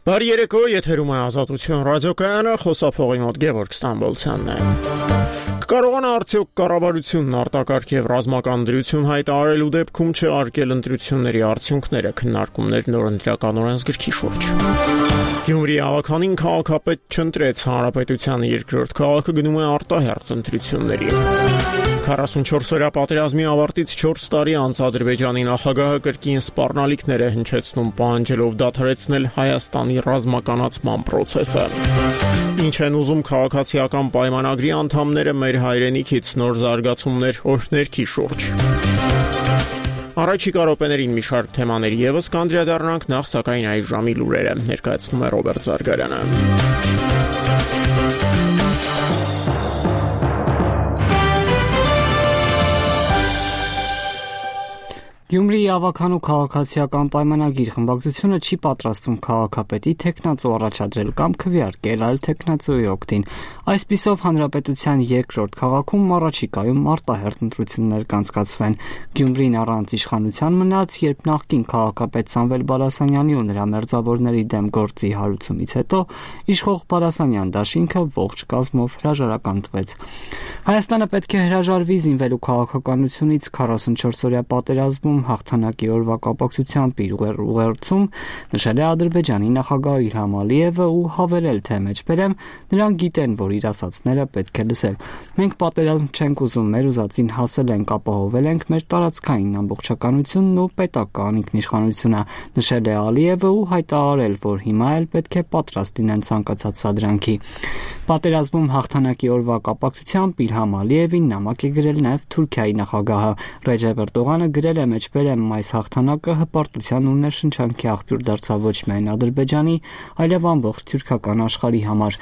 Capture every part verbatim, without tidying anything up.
Բարի երեկո, եթերում է Ազատություն ռադիոկայանը, խոսափողի մոտ Գևորգ Ստամբոլցյանն է։ Կկարողանա արդյոք կառավարությունն արտակարգ եւ ռազմական դրություն հայտարարելու դեպքում չարկել ընտրությունների արդյունքները, քննարկումներ նորընտրական օրենսգրքի շուրջ։ Գյումրի ավականին քաղաքապետ չընտրեց, հանրապետության երկրորդ քաղաքը գնում է արտահերթ ընտրությունների։ քառասունչորս-օրյա պատերազմի ավարտից չորս տարի անց Ադրբեջանի նախագահը կրկին սպառնալիքներ է հնչեցնում, պահանջելով դադարեցնել Հայաստանի ռազմականացման պրոցեսը։ Ինչ են ուզում քաղաքացիական պայմանագրի անդամները մեր հայրենիքից, նոր զարգացումներ օրհներքի շուրջ։ Առաջիկա րոպեներին մի շարք թեմաների ևս կանդրադառնանք, նախ սակայն այս ժամի լուրերը ներկայացնում է Ռոբերտ Զարգարյանը։ Գյումրիի ավականու քաղաքացիական պայմանագիր խմբակցությունը չի պատրաստվում քաղաքապետի թեկնածու առաջադրել կամ քվեարկել այլ թեկնածուի օգտին։ Այսպիսով հանրապետության երկրորդ քաղաքում առաջիկայում արտահերթ ընտրություններ կանցկացվեն։ Գյումրին առանց իշխանության մնաց, երբ նախկին քաղաքապետ Սամվել Բալասանյանի ու նրա մերձավորների դեմ գործի հարուցումից հետո իշխող Բալասանյան դաշինքը ողջ կազմով հրաժարականտվեց։ Հայաստանը պետք է հրաժարվի զինվելու քաղաքականությունից քառասունչորս-օրյա պատերազմում հաղթանակի օրվա կապակցությամբ իր ուղերձում նշել է Ադրբեջանի նախագահ Իլհամ Ալիևը ու հավելել, թե մեջբերեմ նրանք գիտեն, որ իր ասածները պետք է լսել։ Մենք պատերազմ չենք ուզում, մեր ուզածին հասել ենք, ապահովել ենք մեր տարածքային ամբողջականությունն ու պետական ինքնիշխանությունը, նշել է Ալիևը ու հայտարարել, որ հիմա էլ պետք է պատրաստ լինեն ցանկացած սադրանքի։ Պատերազմում հաղթանակի օրվա կապակցությամբ Իլհամ Ալիևին նամակ է գրել նաև Թուրքիայի նախագահը։ Ռեջեփ Էրդողանը գրել է մեջբերեմ այս հաղթանակը հպարտության ու ներշնչանքի աղբյուր դարձավ ոչ միայն Ադրբեջանի, այլև ամբողջ թուրքական աշխարհի համար։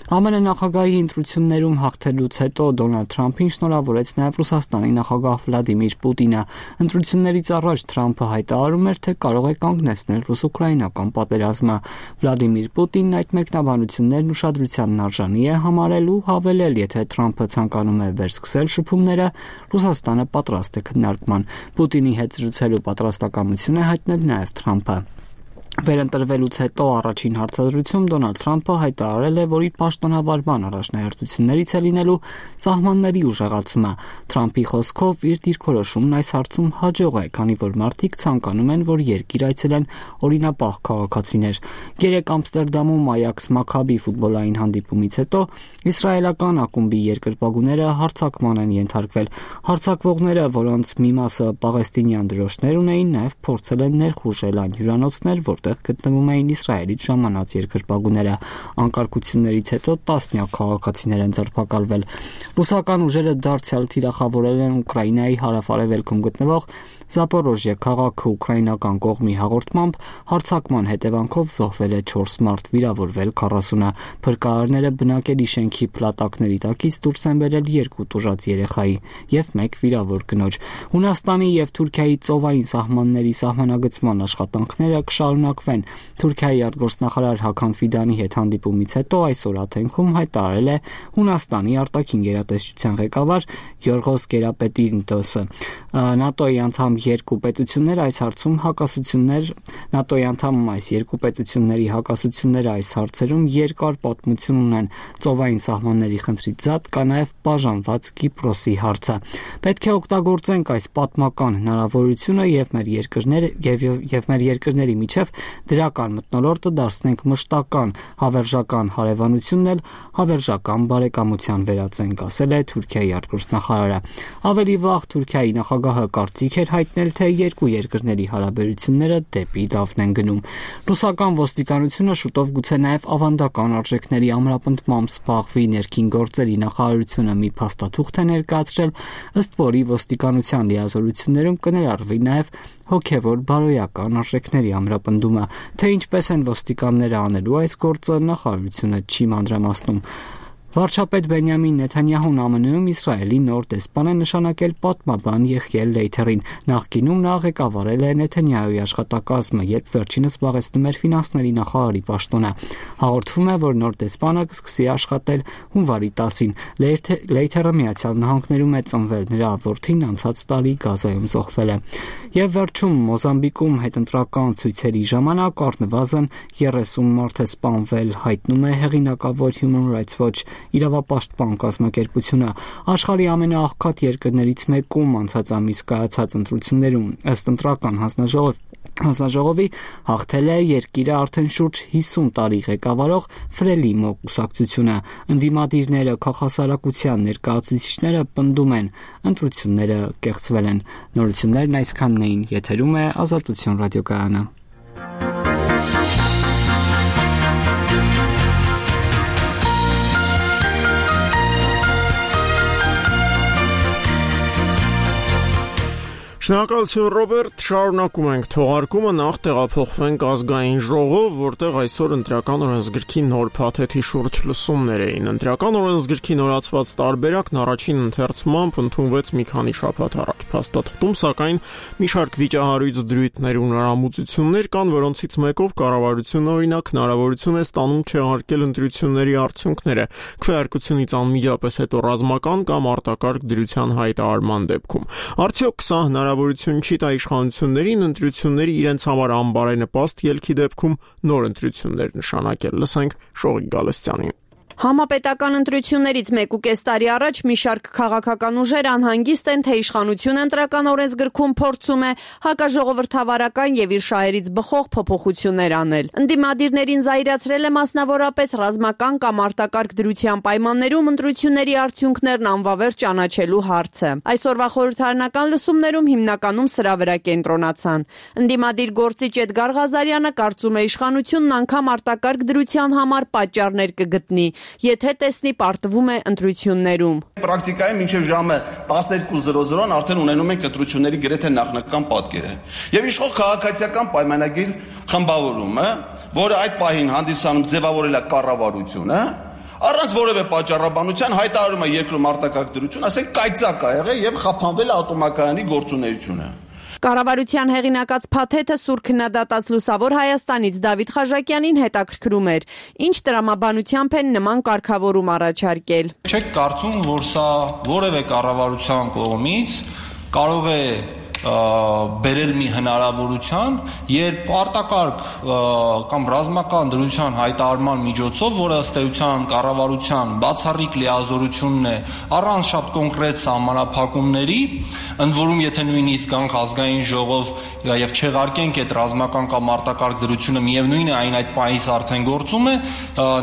ԱՄՆ նախագահի ընտրություններում հաղթելուց հետո Դոնալդ Թրամփին շնորհավորեց նաև Ռուսաստանի նախագահ Վլադիմիր Պուտինը։ Ընտրություններից առաջ Թրամփը հայտարարում էր, թե կարող է կանգնեցնել ռուս-ուկրաինական պատերազմը։ Վլադիմիր Պուտինն այդ մեկնաբանություններն ուշադրությանն արժանի է համարել ու հավելել, եթե Թրամփը ցանկանում է վերսկսել շփումները, Ռուսաստանը պատրաստ է քննարկման։ Պուտինի հետ զրուցելու պատրաստակամություն է հայտնել նաև Թրամփը։ Վերընտրվելուց հետո առաջին հարցադրություն Դոնալդ Թրամփը հայտարարել է, որ իր պաշտոնավարման առաջնահերթություններից է լինելու սահմանների ուժեղացումը։ Թրամփի խոսքով իր դիրքորոշումն այս հարցում հաջող է, քանի որ մարդիկ ցանկանում են, որ երկիր այցելեն օրինապահ քաղաքացիներ։ Երեկ Ամստերդամում Այաքս Մաքաբի ֆուտբոլային հանդիպումից հետո իսրայելական ակումբի երկրպագուները հարձակման են ենթարկվել։ Հարձակվողները, որոնց մի մասը պաղեստինյան դրոշներ ունեին, նաև փորձել են ներխուժել այն հյուրանոցներ, որտեղ գտնվում էին Իսրայելից ժամանած երկրպագուները։ Անկարգություններից հետո տասնյակ քաղաքացիներ են ձերբակալվել։ Ռուսական ուժերը դարձյալ թիրախավորել են Ուկրաինայի հարավ-արևելքում գտնվող Զապորոժիե քաղաքը ուկրաինական կողմի հաղորդմամբ հարձակման հետևանքով զոհվել է չորս մարդ, վիրավորվել քառասունը։ Փրկարարները բնակելի շենքի փլատակների տակից դուրս են բերել երկու տուժած երեխայի եւ մեկ վիրավոր կնոջ։ Հունաստանի եւ Թուրքիայի ծովային սահմանների սահմանագծման աշխատանքները կշարունակվեն։ Թուրքիայի արտգործնախարար Հական Ֆիդանի հետ հանդիպումից հետո այսօր Աթենքում հայտարարել է Հունաստանի արտաքին գերատեսչության ղեկավար Յորգոս Գերապետինտոսը։ ՆԱՏՕ-ի անդամ երկու պետությունները այս հարցում հակասություններ ՆԱՏՕ-ի անդամ այս երկու պետությունների հակասությունները այս հարցերում երկար պատմություն ունեն։ Ծովային սահմանների խնդրից զատ կա նաև բաժանված Կիպրոսի հարցը։ Պետք է օգտագործենք այս պատմական հնարավորությունը եւ մեր երկրները եւ եւ մեր երկրների միջև դրական մթնոլորտը դարձնենք մշտական, հավերժական հարևանությունն էլ հավերժական բարեկամության վերածենք, ասել է Թուրքիայի արտգործնախարարը։ Ավելի վաղ Թուրքիայի նախագահը կարծիք էր հայտնել, թե երկու երկրների հարաբերությունները դեպի լավն են գնում։ Ռուսական ոստիկանությունը շուտով գուցե նաև ավանդական արժեքների ամրապնդմամբ զբաղվի։ Ներքին գործերի նախարարությունը մի փաստաթուղթ է ներկայացրել, ըստ որի ոստիկանության լիազորություններում կներառվի նաև հոգևոր բարոյական արժեքների ամրապնդումը։ Թե ինչպես են ոստիկանները անելու այս գործը, նախարարությունը չի մանրամասնում։ Վարչապետ Բենյամին Նեթանյահուն ԱՄՆ -ում Իսրայելի նոր դեսպան է նշանակել պատմաբան Եղիել Լեյթերին։ Նախկինում նա ղեկավարել է Նեթանյահուի աշխատակազմը, երբ վերջինս զբաղեցնում էր ֆինանսների նախարարի պաշտոնը։ Հաղորդվում է, որ նոր դեսպանը կսկսի աշխատել հունվարի տասին։ Լեյթերը Միացյալ Նահանգներում է ծնվել, նրա որդին անցած տարի Գազայում զոհվել է։ Եվ վերջում Մոզամբիկում հետընտրական ցույցերի ժամանակ առնվազն երեսուն մարդ է սպանվել, հայտնում է հեղինակավոր Human Rights Watch իրավապաշտպան կազմակերպությունը։ Աշխարհի ամենաաղքատ երկրներից մեկում անցած ամիս կայացած ընտրություններում ըստ ընտրական հանձնաժողովի Հանձնաժողովի հաղթել է երկիրը արդեն շուրջ հիսուն տարի ղեկավարող Ֆրելիմո կուսակցությունը։ Ընդդիմադիրները, քաղաքասարակության ներկայացուցիչները պնդում են, ընտրությունները կեղծվել են։ Նորություններն այսքանն էին, եթերում է Ազատություն ռադիոկայանը։ Շնորհակալություն Ռոբերտ, շարունակում ենք թողարկումը, նախ տեղափոխվենք ազգային ժողով, որտեղ այսօր ընտրական օրենսգրքի նոր փաթեթի շուրջ լսումներ էին։ Ընտրական օրենսգրքի նորացված տարբերակն առաջին ընթերցումամբ ընդունվեց մի քանի շաբաթ առաջ։ Փաստաթղթում, սակայն, մի շարք վիճահարույց դրույթներ ու նորամուծություններ կան, որոնցից մեկով կառավարությունը օրինակ հնարավորություն է ստանում չեղարկել ընտրությունների արդյունքները քվեարկությունից անմիջապես հետո ռազմական կամ արտակարգ դրության հայտարարման դեպքում։ Արդյոք սա հնարավորություն չի տա իշխանություններին ընտրությունների իրենց համար անբարենպաստ ելքի դեպքում նոր ընտրություններ նշանակել։ Լսենք Շողիկ Գալստյանին։ Համապետական ընտրություններից մեկ ու կես տարի առաջ մի շարք քաղաքական ուժեր անհանգիստ են, թե իշխանությունը ընտրական օրենսգրքում փորձում է հակաժողովրդավարական եւ իր շահերից բխող փոփոխություններ անել։ Ընդդիմադիրներին զայրացրել է մասնավորապես ռազմական կամ արտակարգ դրության պայմաններում ընտրությունների արդյունքներն անվավեր ճանաչելու հարցը։ Այսօրվա խորհրդարանական լսումներում հիմնականում սրա վրա կենտրոնացան։ Ընդդիմադիր գործիչ Էդգար Ղազարյանը կարծում է իշխանությունն անգամ արտակարգ դրության համար պատճառներ կգտնի, եթե տեսնի պարտվում է ընտրություններում։ Պրակտիկայում մինչև ժամը տասներկու զրո զրոն արդեն ունենում ենք ընտրությունների գրեթե նախնական պատկերը։ Եվ իշխող քաղաքացիական պայմանագիր խմբավորումը, որը այդ պահին հանդիսանում ձևավորել է կառավարությունը, առանց որևէ պատճառաբանության հայտարարում է երկրում արտակարգ դրություն, ասենք կայծակ ա եղել եւ խափանվել է ատոմակայանի գործունեությունը։ Կառավարության հեղինակած փաթեթը սուր քննադատած Լուսավոր Հայաստանից Դավիթ Խաժակյանին հետաքրքրում էր, ինչ տրամաբանությամբ են նման կարգավորում առաջարկել։ Չեք կարծում, որ սա որևէ կառավարության կողմից կարող է բերել մի հնարավորության, երբ արտակարգ կամ ռազմական դրության հայտարարման միջոցով, որը ըստ էության կառավարության բացառիկ լիազորությունն է առանց շատ կոնկրետ սահմանափակումների, ընդ որում եթե նույնիսկ գանք ազգային ժողով եւ չեղարկենք այդ ռազմական կամ արտակարգ դրությունը, միևնույն է այն այդ պահից արդեն գործում է,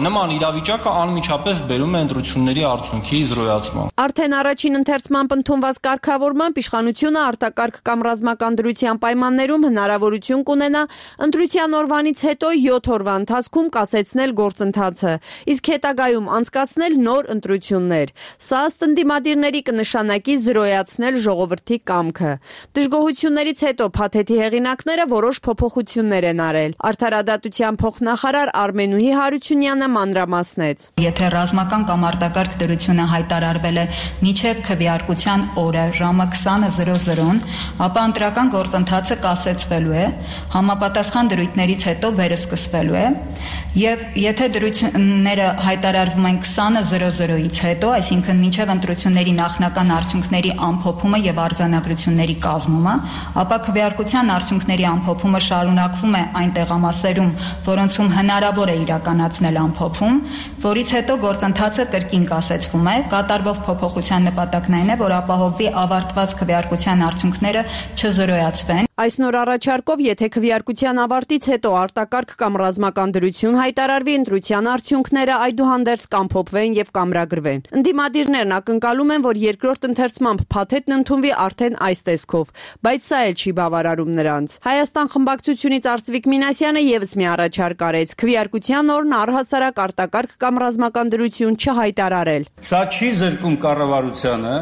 նման իրավիճակը անմիջապես բերում է ընտրությունների արդյունքի զրոյացման։ Արդեն առաջին ընթերցմամբ ընդունված կարգավորմամբ իշխանությունը արտակարգ կամ ռազմական դրության պայմաններում հնարավորություն կունենա ընտրության օրվանից հետո յոթ օրվա ընթացքում կասեցնել գործընթացը, իսկ հետագայում անցկացնել նոր ընտրություններ։ Սա ըստ ընդդիմադիրների կնշանակի զրոյացնել ժողովրդի կամքը։ Դժգոհություններից հետո փաթեթի հեղինակները որոշ փոփոխություններ են արել։ Արդարադատության փոխնախարար Արմենուհի Հարությունյանը մանրամասնեց։ Եթե ռազմական կամ արտակարգ դրությունը հայտարարվել է մինչև քվեարկության օրը ժամը քսանը զրո զրոն, ապա ընտրական գործընթացը կասեցվելու է, համապատասխան դրույթներից հետո վերսկսվելու է, եւ եթե դրությունները հայտարարվում են քսանը զրո զրոից հետո, այսինքն մինչև ընտրությունների նախնական արդյունքների ամփոփումը եւ արձանագրությունների կազմումը, ապա քվեարկության արդյունքների ամփոփումը շարունակվում է այն տեղամասերում, որոնցում հնարավոր է իրականացնել ամփոփում, որից հետո գործընթացը կրկին կասեցվում է, կատարվող փոփոխության նպատակն այն է, որ ապահովվի ավարտված քվեարկության արդյունքները չզրոյացվեն։ Այս նոր առաջարկով, եթե քվեարկության ավարտից հետո արտակարգ կամ ռազմական դրություն հայտարարվի, ընտրության արդյունքները այդուհանդերձ կամփոփվեն եւ կամրագրվեն։ Ընդդիմադիրներն ակնկալում են, որ երկրորդ ընթերցմամբ փաթեթն ընդունվի արդեն այս տեսքով, բայց սա էլ չի բավարարում նրանց։ Հայաստան խմբակցությունից Արծվիկ Մինասյանը եւս մի առաջարկ արեց՝ քվեարկության օրն առհասարակ արտակարգ կամ ռազմական դրություն չհայտարարել։ Սա չի զրկում կառավարությանը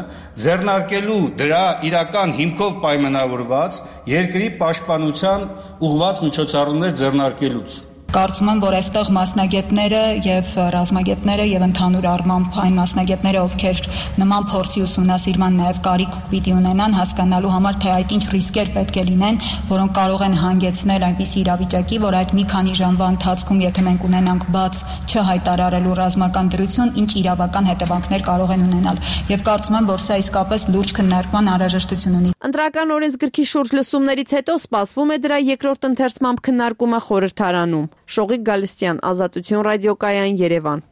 ձեռնարկելու դրա իրական հիմքով պայմանավորված երկրի պաշտպանության ուղղված միջոցառումներ ձեռնարկելուց։ Կարծում եմ, որ այստեղ մասնագետները եւ ռազմագետները եւ ընդհանուր առմամբ այն մասնագետները, ովքեր նման փորձի ուսումնասիրման նաեւ կարիք պիտի ունենան, հասկանալու համար, թե այդ ինչ ռիսկեր պետք է լինեն, որոնք կարող են հանգեցնել այնպիսի իրավիճակի, որ այդ մի քանի ժամվա ընթացքում, եթե մենք ունենանք բաց չհայտարարելու ռազմական դրություն, ինչ իրավական հետևանքներ կարող են ունենալ։ Եվ կարծում եմ, որ սա իսկապես լուրջ քննարկման անհրաժեշտություն ունի։ Ընտրական օրենսգրքի շուրջ լսումներից հետո սպասվում է դրա երկրորդ ընթերցմամբ քննարկումը խորհրդարանում։ Շողիկ Գալստյան, Ազատություն ռադիոկայան, Երևան։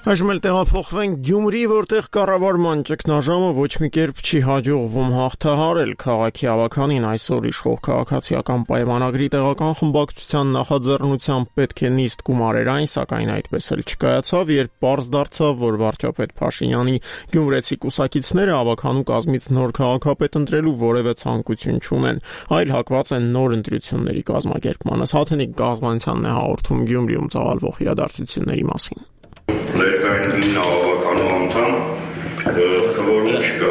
Այժմ էլ տեղափոխվենք Գյումրի, որտեղ կառավարման ճգնաժամը ոչ մի կերպ չի հաջողվում հաղթահարել քաղաքի ավականին այսօր իշխող քաղաքացիական պայմանագրի տեղական խմբակցության նախաձեռնությամբ պետք է նիստ գումարեր այն, սակայն այդպես էլ չկայացավ, երբ պարզ դարձավ, որ վարչապետ Փաշինյանի գյումրեցի կուսակիցները ավականու կազմից նոր քաղաքապետ ընտրելու որևէ ցանկություն չունեն, այլ հակված են նոր ընտրությունների կազմակերպմանը։ Հաթենիկ Գազմանյանն է հաղորդում Գյումրիում ծավալվող իրադարձությունների մասին։ Ներկային ինը ավականու անդամ քվորում չկա։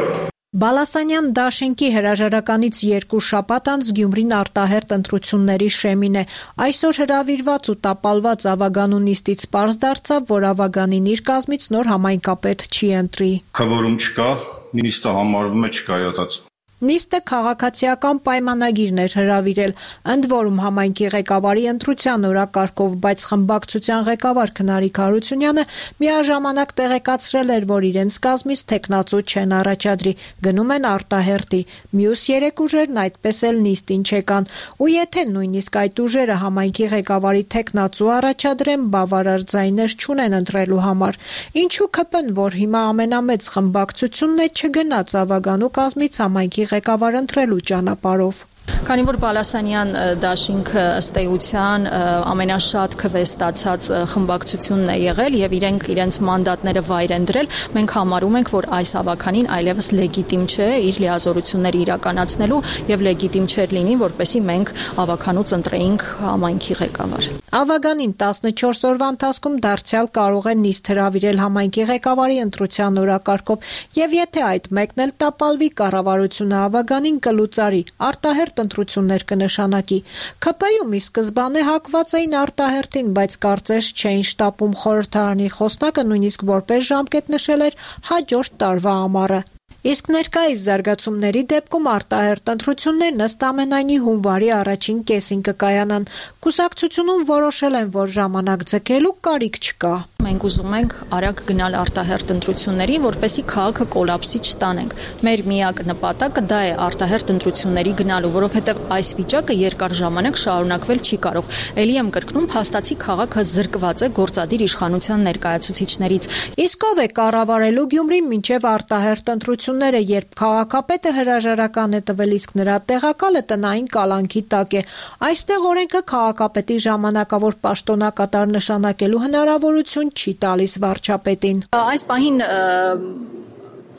Բալասանյան դաշինքի հրաժարականից երկու շաբաթ անց Գյումրին արտահերթ ընտրությունների շեմին է։ Այսօր հրավիրված ու տապալված ավագանու նիստից պարզ դարձավ, որ ավագանին իր կազմից նոր համայնքապետ չի ընտրի։ Քվորում չկա, նիստը համարվում է չկայացած։ Նիստը քաղաքացիական պայմանագիրն էր հրավիրել, ընդ որում համայնքի ղեկավարի ընտրության օրակարգով, բայց խմբակցության ղեկավար Քնարիկ Հարությունյանը միաժամանակ տեղեկացրել էր, որ իրենց կազմից տեխնացու չեն առաջադրի, գնում են արտահերթի։ Մյուս երեք ուժերն այդպես էլ նիստին չեկան, ու եթե նույնիսկ այդ ուժերը համայնքի ղեկավարի տեխնացու առաջադրեն, բավարար ձայներ չունեն ընտրելու համար։ Ինչու ՔՊ-ն, որ հիմա ամենամեծ խմբակցությունն է, չգնաց ավագանու կազմից համայնքի ղեկավար ընտրելու ճանապարհով։ Քանի որ Բալասանյան դաշինքը ըստ էության ամենաշատ քվեստացած խմբակցությունն է եղել եւ իրենք իրենց մանդատները վայր են դրել, մենք համարում ենք, որ այս ավականին այլևս լեգիտիմ չէ իր լիազորությունները իրականացնելու եւ լեգիտիմ չէր լինի, որպեսզի մենք ավականուց ընտրեինք համայնքի ղեկավար։ Ավագանին տասնչորս օրվա ընթացքում դարձյալ կարող է նիստ հրավիրել համայնքի ղեկավարի ընտրության օրակարգով եւ եթե այդ մեկն էլ տապալվի, կառավարությունը ավագանին կլուծարի, արտահերթ ընտրություններ կնշանակի։ ՔՊ-ում ի սկզբանե հակված էին արտահերթին, բայց կարծես չէին շտապում խորհրդարանի խոսնակը նույնիսկ որպես ժամկետ նշել էր հաջորդ տարվա ամառը։ Իսկ ներկայիս զարգացումների դեպքում արտահերթ ընտրություններն ըստ ամենայնի հունվարի առաջին կեսին կկայանան։ Կուսակցությունում որոշել են, որ ժամանակ ձգելու կարիք չկա։ Մենք ուզում ենք արագ գնալ արտահերթ ընտրությունների, որպեսզի քաղաքը կոլապսի չտանենք։ Մեր միակ նպատակը դա է արտահերթ ընտրությունների գնալու, որովհետև այս վիճակը երկար ժամանակ շարունակվել չի կարող։ Էլի եմ կրկնում, փաստացի քաղաքը զրկված է գործադիր իշխանության ներկայացուցիչներից։ Իսկ ով է կառավարելու Գյումրին մինչև արտահերթ ընտրությունները, երբ քաղաքապետը հրաժարական է տվել, իսկ նրա տեղակալը տնային կալանքի տակ է։ Այստեղ օրենքը քաղաքապետի ժամանակավոր պաշտոնակատար նշանակելու հնարավորություն չի տալիս վարչապետին։ Այս պահին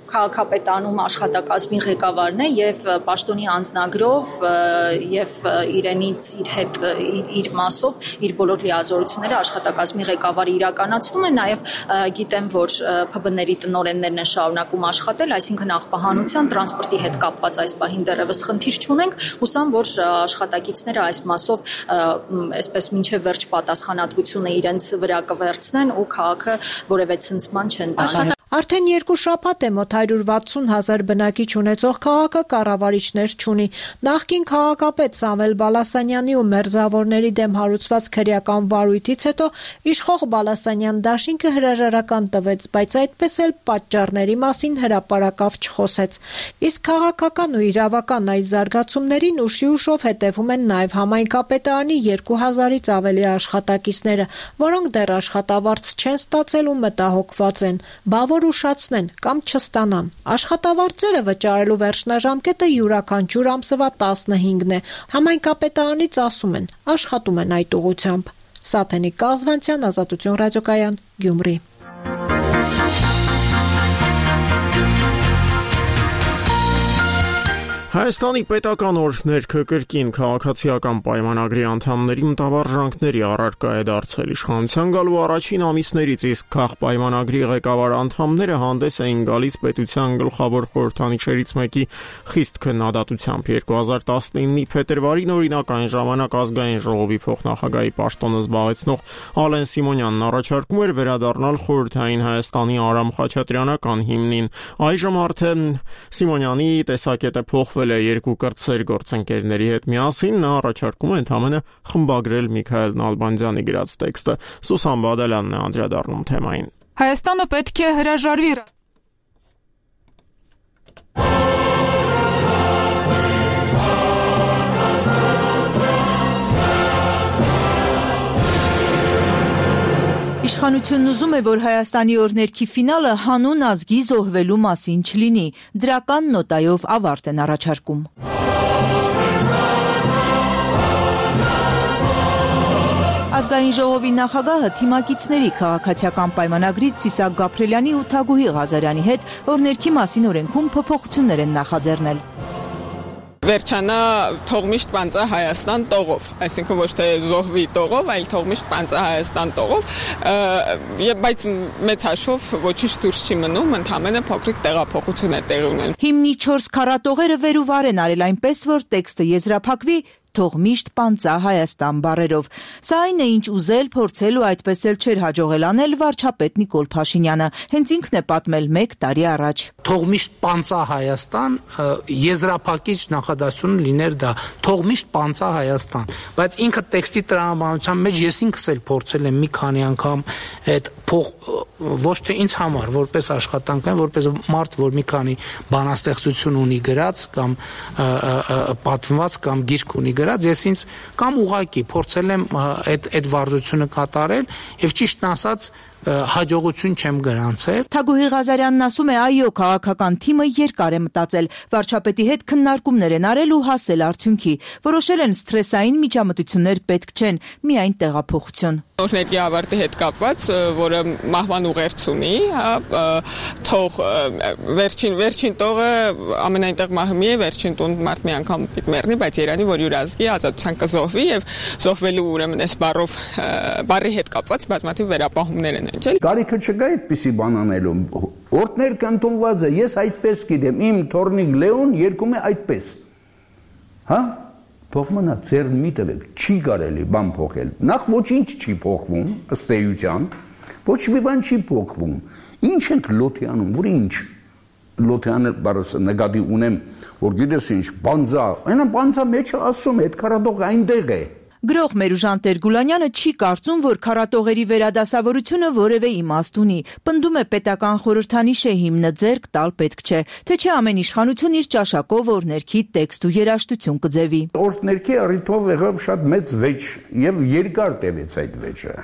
քաղաքապետանում աշխատակազմի ղեկավարն է եւ պաշտոնի անձնագրով եւ իրենից իր հետ իր մասով իր բոլոր լիազորությունները աշխատակազմի ղեկավարը իրականացնում է, նաեւ գիտեմ, որ ՓԲ-ների տնօրեններն են շարունակում աշխատել, այսինքն աղբահանության, տրանսպորտի հետ կապված այս պահին դեռևս խնդիր չունենք, հուսամ, որ աշխատակիցները այս մասով այսպես մինչեւ վերջ պատասխանատվությունը իրենց վրա կվերցնեն ու քաղաքը որևէ ցնցման չեն տա։ Արդեն երկու շաբաթ է մոտ հարյուր վաթսուն հազար բնակիչ ունեցող քաղաքը կառավարիչներ չունի։ Նախկին քաղաքապետ Սամվել Բալասանյանի ու մերձավորների դեմ հարուցված քրեական վարույթից հետո իշխող Բալասանյան դաշինքը հրաժարական տվեց, բայց այդպես էլ պատճառների մասին հրապարակավ չխոսեց։ Իսկ քաղաքական ու իրավական այս զարգացումներին ուշի ուշով հետևում են նաև համայնքապետարանի երկու հազարից ավելի աշխատակիցները, որոնք դեռ աշխատավարձ չեն ստացել ու մտահոգված են։ Բավ ուշացնեն կամ չստանան։ Աշխատավարձերը վճարելու վերջնաժամկետը յուրաքանչյուր ամսվա տասնհինգն է։ Համայնքապետարանից ասում են, աշխատում են այդ ուղղությամբ։ Սաթենիկ Կազվանցյան, Ազատություն ռադիոկայան, Գյումրի։ Հայաստանի պետական օրենքը կրկին քաղաքացիական պայմանագրի անդամների մտավարժանքների առարկա է դարձել իշխանության գալու առաջին ամիսներից, իսկ քաղպայմանագրի ղեկավար անդամները հանդես էին գալիս պետության գլխավոր խորհրդանիշերից մեկի խիստ քննադատությամբ։ երկու հազար տասնինի փետրվարին օրինակ այն ժամանակ ազգային ժողովի փոխնախագահի պաշտոնը զբաղեցնող Ալեն Սիմոնյանն առաջարկում էր վերադառնալ խորհրդային Հայաստանի Արամ Խաչատրյանական հիմնին։ Այժմ արդեն Սիմոնյանի տեսակետը փոխվել է երկու կրտսեր գործընկերների հետ միասին, նա առաջարկում է ընդհանրապես խմբագրել Միքայել Նալբանդյանի գրած տեքստը։ Սուսան Բադալյանն է անդրադառնում թեմային։ Հայաստանը պետք է հրաժարվի Իշխանությունն ուզում է, որ Հայաստանի օրհներքի ֆինալը հանուն ազգի զոհվելու մասին չլինի, դրական նոտայով ավարտ են առաջարկում։ Ազգային ժողովի նախագահը թիմակիցների քաղաքացիական պայմանագրից Սիսակ Գաբրելյանի ու Թագուհի Ղազարյանի հետ օրհներքի մասին օրենքում փոփոխություններ են նախաձեռնել։ Վերջանա թողմիշտ պանծա Հայաստան տողով, այսինքն ոչ թե զոհվի տողով, այլ թողմիշտ պանծա Հայաստան տողով, եւ բայց մեծ հաշվով ոչինչ դուրս չի մնում, ընդհանրապես փոքրիկ տեղափոխություն է տեղի ունենում։ Հիմնի չորս քառատողերը վեր ու վար են արել այնպես, որ տեքստը եզրափակվի թող միշտ պանծա Հայաստան բառերով։ Սա այն է, ինչ ուզել, փորձել ու այդպես էլ չէր հաջողել անել վարչապետ Նիկոլ Փաշինյանը։ Հենց ինքն է պատմել մեկ տարի առաջ։ Թող միշտ պանծա Հայաստան, եզրափակիչ նախադասությունը լիներ դա, թող միշտ պանծա Հայաստան, բայց ինքը տեքստի տրամաբանության մեջ ես ինքս էլ փորձել եմ մի քանի անգամ այդ փող ոչ թե ինձ համար, որպես աշխատանքային, որպես մարդ, որ մի քանի բանաստեղծություն ունի գրած կամ պատմված կամ գիրք ունի գրած, ես ինձ կամ ուղակի փորձել եմ այդ այդ վարժությունը կատարել եւ ճիշտն ասած հաջողություն չեմ գրանցել։ Թագուհի Ղազարյանն ասում է, այո, քաղաքական թիմը երկար է մտածել, վարչապետի հետ քննարկումներ են արել ու հասել արդյունքի։ Որոշել են սթրեսային միջամտություններ պետք չեն, միայն տեղափոխություն։ Օրհներքի ավարտի հետ կապված, որը մահվան ուղերձ ունի, հա, թող վերջին վերջին տողը ամենայնտեղ մահմի է, վերջին տուն մարդ մի անգամ պիտի մեռնի, բայց Երանի, որ յուր ազգի ազատության կզոհվի եւ զոհվելու ուրեմն այս բառով բառի հետ կապված բազմաթիվ վերապահումներ են ընջել։ Կարիքը չկա այդպիսի բան անելու։ Օրդներ կընդունված է, ես այդպես գիտեմ, իմ թորնիկ Լեոն երկում է այդպես։ Հա? Փոխմնա ծեր մի տվեք, չի կարելի բան փոխել։ Նախ ոչինչ չի փոխվում, ըստ էության, ոչ մի բան չի փոխվում։ Ինչ ենք լոթի անում, որ ինչ լոթյանը բարոս նկատի ունեմ, որ գիտես ինչ, բանձա, այնա բանձա մեջը ասում է, այդ քարատողը այնտեղ է։ Գրող Մերուժան Տեր-Գուլանյանը չի կարծում, որ քարատողերի վերադասավորությունը որևէ իմաստ ունի։ Պնդում է պետական խորհրդանիշ է հիմնը ձեռք տալ պետք չէ, թե չէ ամեն իշխանություն իր ճաշակով օրհներքի տեքստ ու երաժշտություն կձևի։ Օրհներքի առիթով եղավ շատ մեծ վեճ եւ երկար տևեց այդ վեճը։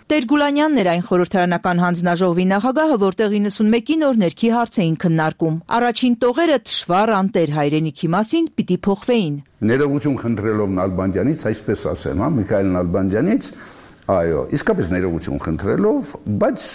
Տեր-Գուլանյանն էր այն խորհրդարանական հանձնաժողովի նախագահը, որտեղ իննսունմեկին օրհներքի հարց էին քննարկում։ Առաջին տողերը թշվառ անտեր հայրենիքի մասին պիտի փոխվեին։ Ներողություն խնդրելով Նալբանդյանից, այսպես ասեմ, հա, Միքայել Նալբանդյանից, այո, իսկապես ներողություն խնդրելով, բայց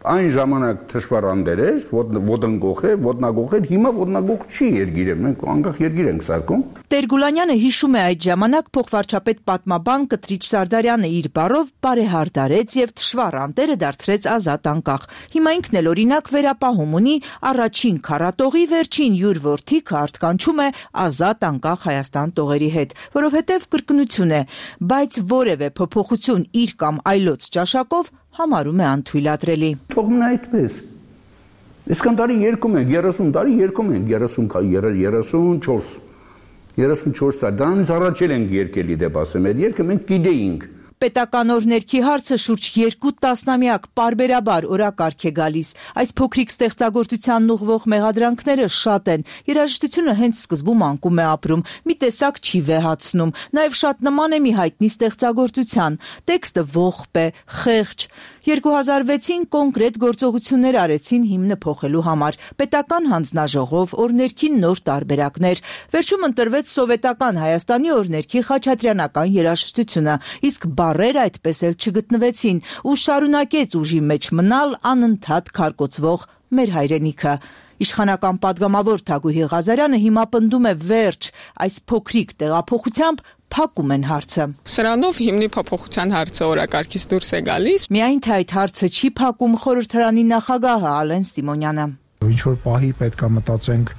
այն ժամանակ թշվառ անտեր էր, ոտնգող է, ոտնագող էր, հիմա ոտնագող չի երգիրը, մենք անկախ երգիր ենք սարքում։ Տեր-Գուլանյանը հիշում է այդ ժամանակ փոխվարչապետ պատմաբան Կտրիչ Սարդարյանը իր բառով բարեհարդարեց եւ թշվառ անտերը դարձրեց ազատ անկախ։ Հիմա ինքն էլ օրինակ վերապահում ունի առաջին քառատողի վերջին յուր որդիքը արտկանչում է ազատ անկախ Հայաստան տողերի հետ, որովհետեւ կրկնություն է, բայց որևէ փոփոխություն իր կամ այլոց ճաշակով համարում է անթույլատրելի։ Թողնա այդպես։ Այսքան տարի երկում ենք, երեսուն տարի երկում ենք, երեսունչորս երեսունչորս տարի, դրանից առաջել ենք երկելի դեպ ասեմ, այդ երկը մենք գիտեինք։ Պետական օրհներքի հարցը շուրջ երկու տասնամյակ պարբերաբար օրակարգ է գալիս։ Այս փոքրիկ ստեղծագործությանն ուղղվող մեղադրանքները շատ են։ Երաժշտությունը հենց սկզբում անկում է ապրում, մի տեսակ չի վեհացնում, նաև շատ նման է մի հայտնի ստեղծագործության։ Տեքստը ողբ է, խեղճ։ երկու հազար վեցին կոնկրետ գործողություններ արեցին հիմնը փոխելու համար։ Պետական հանձնաժողով, օրհներքի նոր տարբերակներ։ Վերջում ընտրվեց սովետական Հայաստանի օրհներքի խաչատրյանական երաժշտությունը, իսկ բառեր այդպես էլ չգտնվեցին ու շարունակեց ուժի մեջ մնալ անընդհատ քարկոծվող մեր հայրենիքը։ Իշխանական պատգամավոր Թագուհի Ղազարյանը հիմա պնդում է վերջ, այս փոքրիկ տեղափոխությամբ փակում են հարցը։ Սրանով հիմնի փոփոխության հարցը օրակարգից դուրս է գալիս։ Միայն թե այդ հարցը չի փակում խորհրդարանի նախագահը Ալեն Սիմոնյանը։ Ինչ որ պահի պետք է մտածենք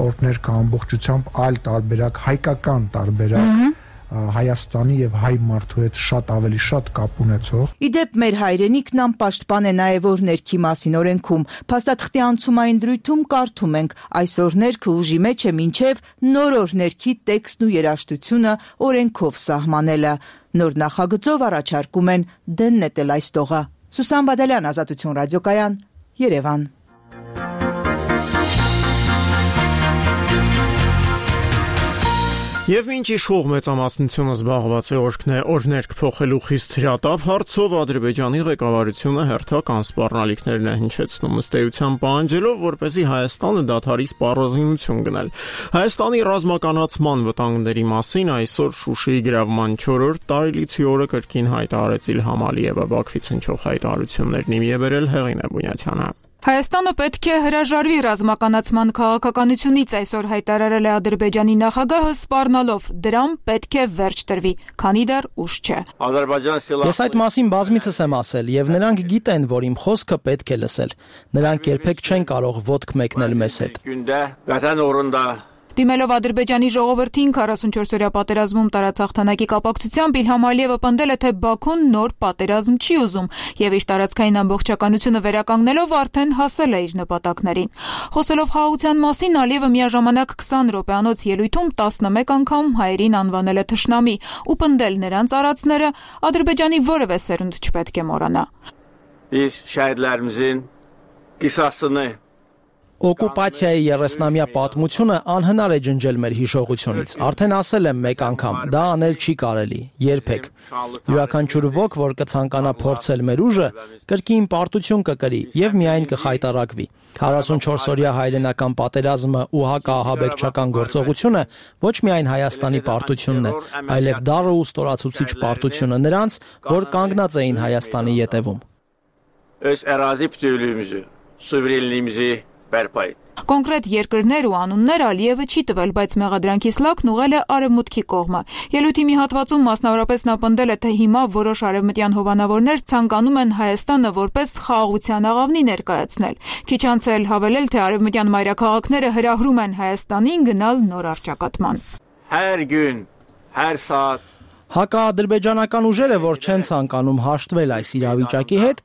օրհներ կա ամբողջությամբ այլ տարբերակ, հայկական տարբերակ, Հայաստանի եւ հայ մարդու հետ շատ ավելի շատ կապ ունեցող։ Իդեպ մեր հայրենիքն անպաշտպան է նաեւ օրհներքի մասին օրենքում։ Փաստաթղթի անցումային դրույթում կարդում ենք. այս օրհներքը ուժի մեջ է մինչեւ նոր օրհներքի տեքստն ու երաժշտությունը օրենքով սահմանելը։ Նոր նախագծով առաջարկում են դեն նետել այս տողը։ Սուսան Բադալյան, Ազատություն ռադիոկայան, Երևան։ Եվ մինչ իշխող մեծամասնությունը զբաղված է օրհներք փոխելու խիստ հրատապ հարցով, Ադրբեջանի ղեկավարությունը հերթական սպառնալիքներն է հնչեցնում ըստ էության պահանջելով, որպեսզի Հայաստանը դադարի սպառազինություն գնել։ Հայաստանի ռազմականացման վտանգների մասին այսօր Շուշիի գրավման չորրորդ տարելիցի օրը կրկին հայտարարեց Իլհամ Ալիևը, Բաքվից հնչող հայտարարություններն ի բերել Հեղինե Բունյացյանը։ Հայաստանը պետք է հրաժարվի ռազմականացման քաղաքականությունից, այսօր հայտարարել է Ադրբեջանի նախագահը, սպառնալով դրան պետք է վերջ տրվի, քանի դեռ ուշ չէ։ Ես այդ մասին բազմիցս եմ ասել, եւ նրանք գիտեն, որ իմ խոսքը պետք է լսել։ Նրանք երբեք չեն կարող ոտք մեկնել մեզ հետ։ Դիմելով Ադրբեջանի ժողովրդին քառասունչորս-օրյա պատերազմում տարած հաղթանակի կապակցությամբ Իլհամ Ալիևը պնդել է, թե Բաքուն նոր պատերազմ չի ուզում եւ իր տարածքային ամբողջականությունը վերականգնելով արդեն հասել է իր նպատակներին։ Խոսելով խաղաղության մասին, Ալիևը միաժամանակ քսան րոպեանոց ելույթում տասնմեկ անգամ հայերին անվանել է թշնամի ու պնդել նրանց արածները Ադրբեջանի որևէ սերունդ չպետք է մոռանա։ Biz şəhidlərimizin qisasını Օկուպացիայի երեսնամյա պատմությունը անհնար է ջնջել մեր հիշողությունից։ Արդեն ասել եմ մեկ անգամ, դա անել չի կարելի, երբեք։ Յուրաքանչյուր ոք, որ կցանկանա փորձել մեր ուժը, կրկին պարտություն կկրի եւ միայն կխայտարակվի։ քառասունչորս-օրյա հայրենական պատերազմը ու հակաահաբեկչական գործողությունը ոչ միայն Հայաստանի պարտությունն է, այլև դառը ու ստորացուցիչ պարտությունը նրանց, որ կանգնած էին Հայաստանի ետևում։ Öz ərazi bütövlüyümüzü, suverenliyimizi Կոնկրետ երկրներ ու անուններ Ալիևը չի տվել, բայց մեղադրանքից լաքն ուղղել է արևմուտքի կողմը։ Ելույթի մի հատվածում մասնավորապես նա պնդել է, թե հիմա որոշ արևմտյան հովանավորներ ցանկանում են Հայաստանը որպես խաղաղության աղավնի ներկայացնել։ Քիչ անց էլ հավելել, թե արևմտյան մայրաքաղաքները հրահրում են Հայաստանին գնալ նոր առճակատման։ Hər gün, hər saat Հակաադրբեջանական ուժերը, որ չեն ցանկանում հաշտվել այս իրավիճակի հետ,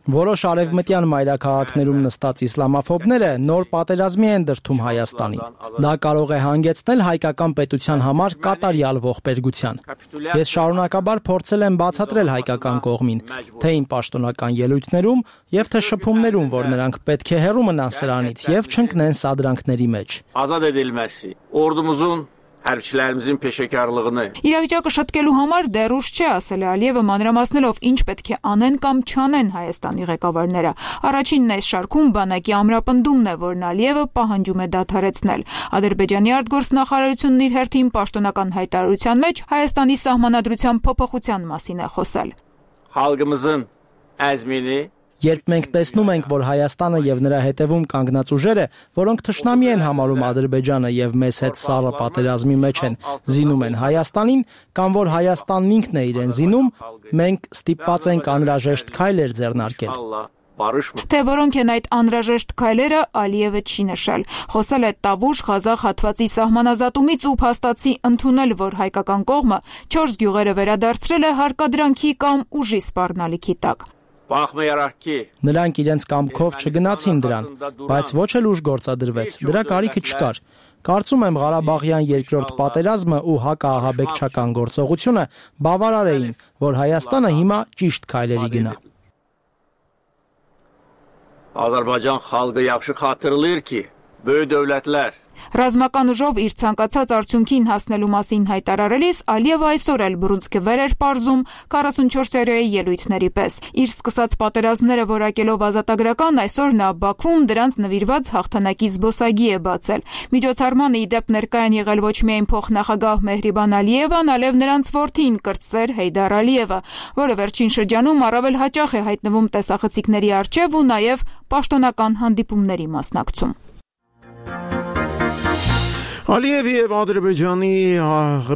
որոշ արևմտյան մայրաքաղաքներում նստած իսլամաֆոբները նոր պատերազմի են դրդում Հայաստանին։ Դա կարող է հանգեցնել հայկական պետության համար կատարյալ ողբերգության։ Ես շարունակաբար փորձել եմ բացատրել հայկական կողմին, թե իմ պաշտոնական ելույթներում եւ թե շփումներում, որ նրանք պետք է հեռու մնան սրանից եւ չընկնեն սադրանքների մեջ։ Ազատ edilməsi, ordumuzun Hərbçilərimizin peşəkarlığını Իրավիճակը շտկելու համար դեռ ուշ չէ, ասել է Ալիևը, մանրամասնելով ինչ պետք է անեն կամ չանեն Հայաստանի ղեկավարները։ Առաջինն այս շարքում բանակի ամրապնդումն է, որն Ալիևը պահանջում է դադարեցնել։ Ադրբեջանի արտգործնախարարությունն իր հերթին պաշտոնական հայտարարության մեջ Հայաստանի սահմանադրության փոփոխության մասին է խոսել։ Xalqımızın əzmini Երբ մենք տեսնում ենք, որ Հայաստանը եւ նրա հետևում կանգնած ուժերը, որոնք թշնամի են համարում Ադրբեջանը եւ մեզ հետ սառը պատերազմի մեջ են, զինում են Հայաստանին, կամ որ Հայաստանն ինքն է իրեն զինում, մենք ստիպված ենք անհրաժեշտ քայլեր ձեռնարկել։ Թե որոնք են այդ անհրաժեշտ քայլերը, Ալիևը չի նշել։ Խոսել է Տավուշ-Ղազախ հատվածի սահմանազատումից ու փաստացի ընդունել, որ հայկական կողմը չորս գյուղերը վերադարձրել է հարկադրանքի կամ ուժի սպառնալիքի տակ։ Նրանք իրենց կամքով չգնացին դրան, բայց ոչ էլ ուժ գործադրվեց, դրա կարիքը չկար։ Կարծում եմ Ղարաբաղյան երկրորդ պատերազմը ու հակաահաբեկչական գործողությունը բավարար էին, որ Հայաստանը հիմա ճիշտ քայլերի գնա։ Azərbaycan xalqı yaxşı xatırlayır ki, böyük dövlətlər Ռազմական ուժով իր ցանկացած արդյունքին հասնելու մասին հայտարարելիս Ալիևը այսօր էլ բռունցքը վեր էր պարզում քառասունչորս-օրյայի ելույթների պես։ Իր սկսած պատերազմները որակելով ազատագրական, այսօր նա Բաքվում դրանց նվիրված հաղթանակի զբոսայգի է բացել։ Միջոցառմանը ի դեպ ներկա են եղել ոչ միայն փոխնախագահ Մեհրիբան Ալիևան, այլև նրանց որդին կրտսեր Հեյդար Ալիևը, որը վերջին շրջանում առավել հաճախ է հայտնվում տեսախցիկների առջև ու նաև պաշտոնական հանդիպումների մասնակցում։ Ալիևի եւ Ադրբեջանի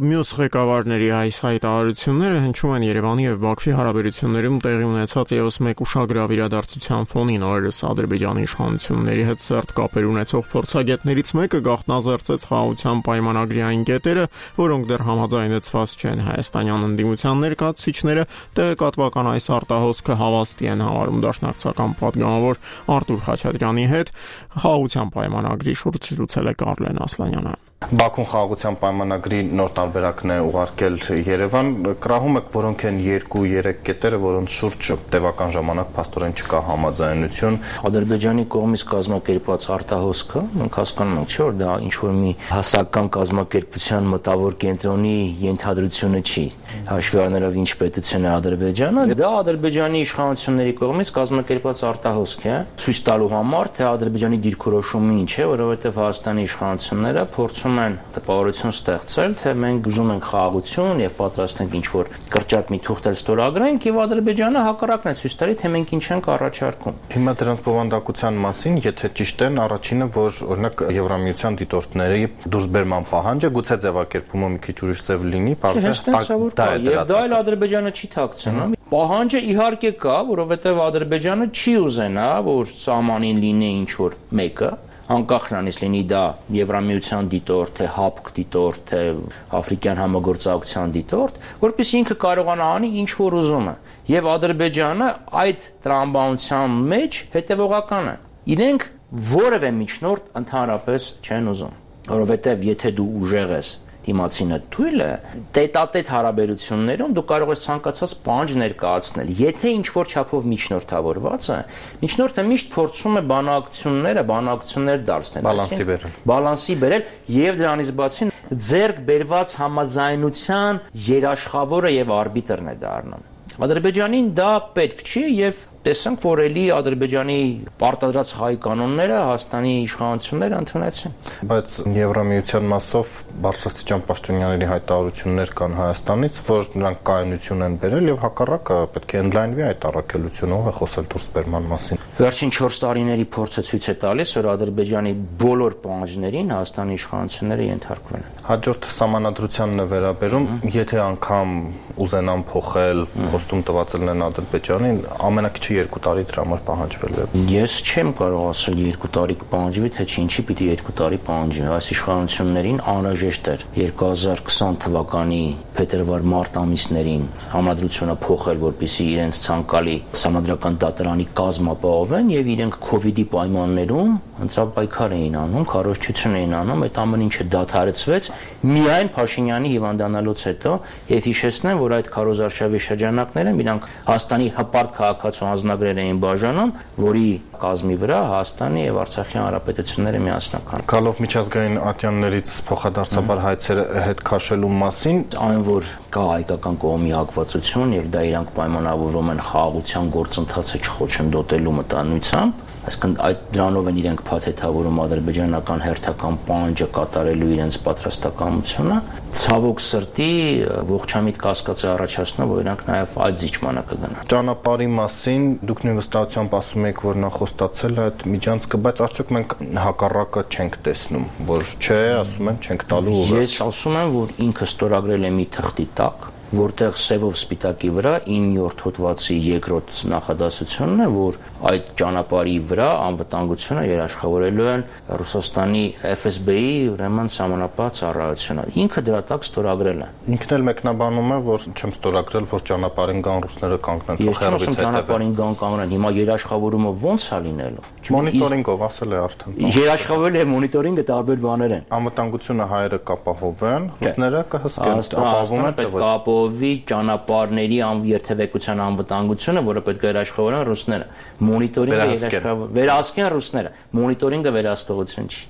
մյուս ղեկավարների այս հայտարարությունները հնչում են Երևանի եւ Բաքվի հարաբերություններում տեղի ունեցած եւս մեկ ուշագրավ իրադարձության ֆոնին։ Օրերս Ադրբեջանի իշխանությունների հետ սերտ կապեր ունեցող փորձագետներից մեկը գաղտնազերծեց խաղաղության պայմանագրի այն կետերը, որոնք դեռ համաձայնեցված չեն։ Հայաստանյան ընդդիմության ներկայացուցիչները տեղեկատվական այս արտահոսքը հավաստի են համարում դաշնակցական պատգամավոր Արտուր Խաչատրյանի հետ խաղաղության պայմանագրի շուրջ զրուցել է Կարլեն Ասլանյանը։ Բաքուն խաղաղության պայմանագրի նոր տարբերակն է ուղարկել Երևան, կրահում եք որոնք են երկու-երեք կետերը, որոնց շուրջ տևական ժամանակ փաստորեն չկա համաձայնություն։ Ադրբեջանի կողմից կազմակերպված արտահոսքը, մենք հասկանում ենք, չէ՞ որ դա ինչ որ մի հասարակական կազմակերպության մտավոր կենտրոնի ենթադրությունը չի, հաշվի առնելով ինչ պետություն է Ադրբեջանը, դա Ադրբեջանի իշխանությունների կողմից կազմակերպված արտահոսք է, ցույց տալու համար, թե Ադրբեջանի դիրքորոշումը ինչ է, որովհետև Հայաստանի իշխանությունները փորձում են տպավորություն ստեղծել, թե մենք ուզում ենք խաղաղություն եւ պատրաստ ենք ինչ-որ կրճատ մի թուղթ ստորագրենք եւ Ադրբեջանը հակառակն է ցույց տալի, թե մենք ինչ ենք առաջարկում։ Հիմա դրանց բովանդակության մասին, եթե ճիշտ են, առաջինը, որ օրինակ Եվրամիության դիտորդների դուրսբերման պահանջը գուցե ձևակերպումը մի քիչ ուրիշ ձև լինի, բարձր դա է եւ դա էլ Ադրբեջանը չի թաքցնում։ Պահանջը իհարկե կա, որովհետեւ Ադրբեջանը չի ուզենա, որ սահմանին լինի ինչ-որ մեկը, անկախ նրանից լինի դա Եվրամիության դիտորդ, թե ՀԱՊԿ դիտորդ, թե Աֆրիկյան համագործակցության դիտորդ, որպեսզի ինքը կարողանա անի ինչ որ ուզում է։ Եվ Ադրբեջանը այդ տրամաբանության մեջ հետևողական է։ Իրենք որևէ միջնորդ ընդհանրապես չեն ուզում, որովհետև եթե դու ուժեղ ես դիմացինը թույլ է, տետատետ հարաբերություններում դու կարող ես ցանկացած պահանջ ներկայացնել։ Եթե ինչ-որ չափով միջնորդավորված է, միջնորդը միշտ փորձում է բանակցությունները, բանակցություններ դարձնել, բալանսի բերել։ Բալանսի բերել եւ դրանից բացի ձեռք բերված համաձայնության երաշխավորը եւ արբիտրն է դառնում։ Ադրբեջանին դա պետք չի եւ տեսանք, որ էլի Ադրբեջանի պարտադրած հայ կանոնները Հայաստանի իշխանությունները ընդունեցին։ Բայց Եվրամիության մասով բարձրաստիճան պաշտոնյաների հայտարարություններ կան Հայաստանից, որ նրանք կայունություն են բերել եւ հակառակը պետք է ընդլայնվի այդ առաքելությունը, ով է խոսել դուրսբերման մասին։ Վերջին չորս տարիների փորձը ցույց է տալիս, որ Ադրբեջանի բոլոր պահանջներին Հայաստանի իշխանությունները ենթարկվել են։ Հաջորդ սահմանադրությանն է վերաբերում, եթե անգամ ուզենան փոխել, խոստում տված են Ադրբեջանին, ամենակիչը երկու տարի դրա համար պահանջվել է։ Ես չեմ կարող ասել երկու տարի կպահանջվի, թե չի, ինչի պիտի երկու տարի պահանջվի։ Այս իշխանություններին անհրաժեշտ էր երկու հազար քսան թվականի փետրվար-մարտ ամիսներին համադրությունը փոխել, որպեսզի իրենց ցանկալի համադրական դատարանի կազմ ապահովեն եւ իրենք քովիդի պայմաններում ընտրապայքար էին անում, քարոզչություն էին անում, այդ ամեն ինչը դադարեցվեց միայն Փաշինյանի հիվանդանալուց հետո եւ հիշեցնեմ, որ այդ քարոզարշավի շրջանակները իրանք Հայաստանի հպարտ քաղաքացու անձնագրեր էին բաժանում, որի կազմի վրա Հայաստանի եւ Արցախի հանրապետությունները միասնական։ Գալով միջազգային ատյաններից փոխադարձաբար հայցերը հետ քաշելու մասին, այն որ կա հայկական կողմի հակվածություն եւ դա իրանք պայմանավորվում են խաղաղության գործընթացը չխոչընդոտելու մտանույթությամբ, այսինքն այդ դրանով են իրենք փաթեթավորում ադրբեջանական հերթական պահանջը կատարելու իրենց պատրաստակամությունը, ցավոք սրտի ողջամիտ կասկած է առաջացնում, որ իրանք նաև այդ զիջմանը կգնան։ Ճանապարհի մասին դուք նույն վստահությամբ ասում եք, որ նա խոստացել է այդ միջանցքը, բայց արդյոք մենք հակառակը չենք տեսնում, որ չէ, ասում են, չենք տալու ուղղը։ Ես ասում եմ, որ ինքը ստորագրել է մի թղթի տակ, որտեղ սևով սպիտակի վրա իններորդ հոդվածի երկրորդ նախադասությունն է, որ այդ ճանապարհի վրա անվտանգությունը երաշխավորելու են Ռուսաստանի Էֆ Էս Բի-ի ուրեմն սահմանապահ ծառայությունը։ Ինքը դրա տակ ստորագրել է։ Ինքն էլ մեկնաբանում է, որ չեմ ստորագրել, որ ճանապարհին գան ռուսները կանգնեն փոխարինից հետևեն։ Ես չեմ ճանապարհին գան կանգնեն։ Հիմա երաշխավորումը ո՞նց է լինելու։ Մոնիտորինգով ասել է արդեն։ Երաշխավորել է մոնիտորինգը տարբեր բաներ են։ Անվտանգությունը հայերը կապահովեն, ռուսները կհսկեն, ապահովում են թե ոչ։ Ովի ճանապարհների երթևեկության անվտանգությունը, որը պետք է երաշխավորեն ռուսները, մոնիտորինգը երաշխավոր վերահսկեն ռուսները, մոնիտորինգը վերահսկողություն չի։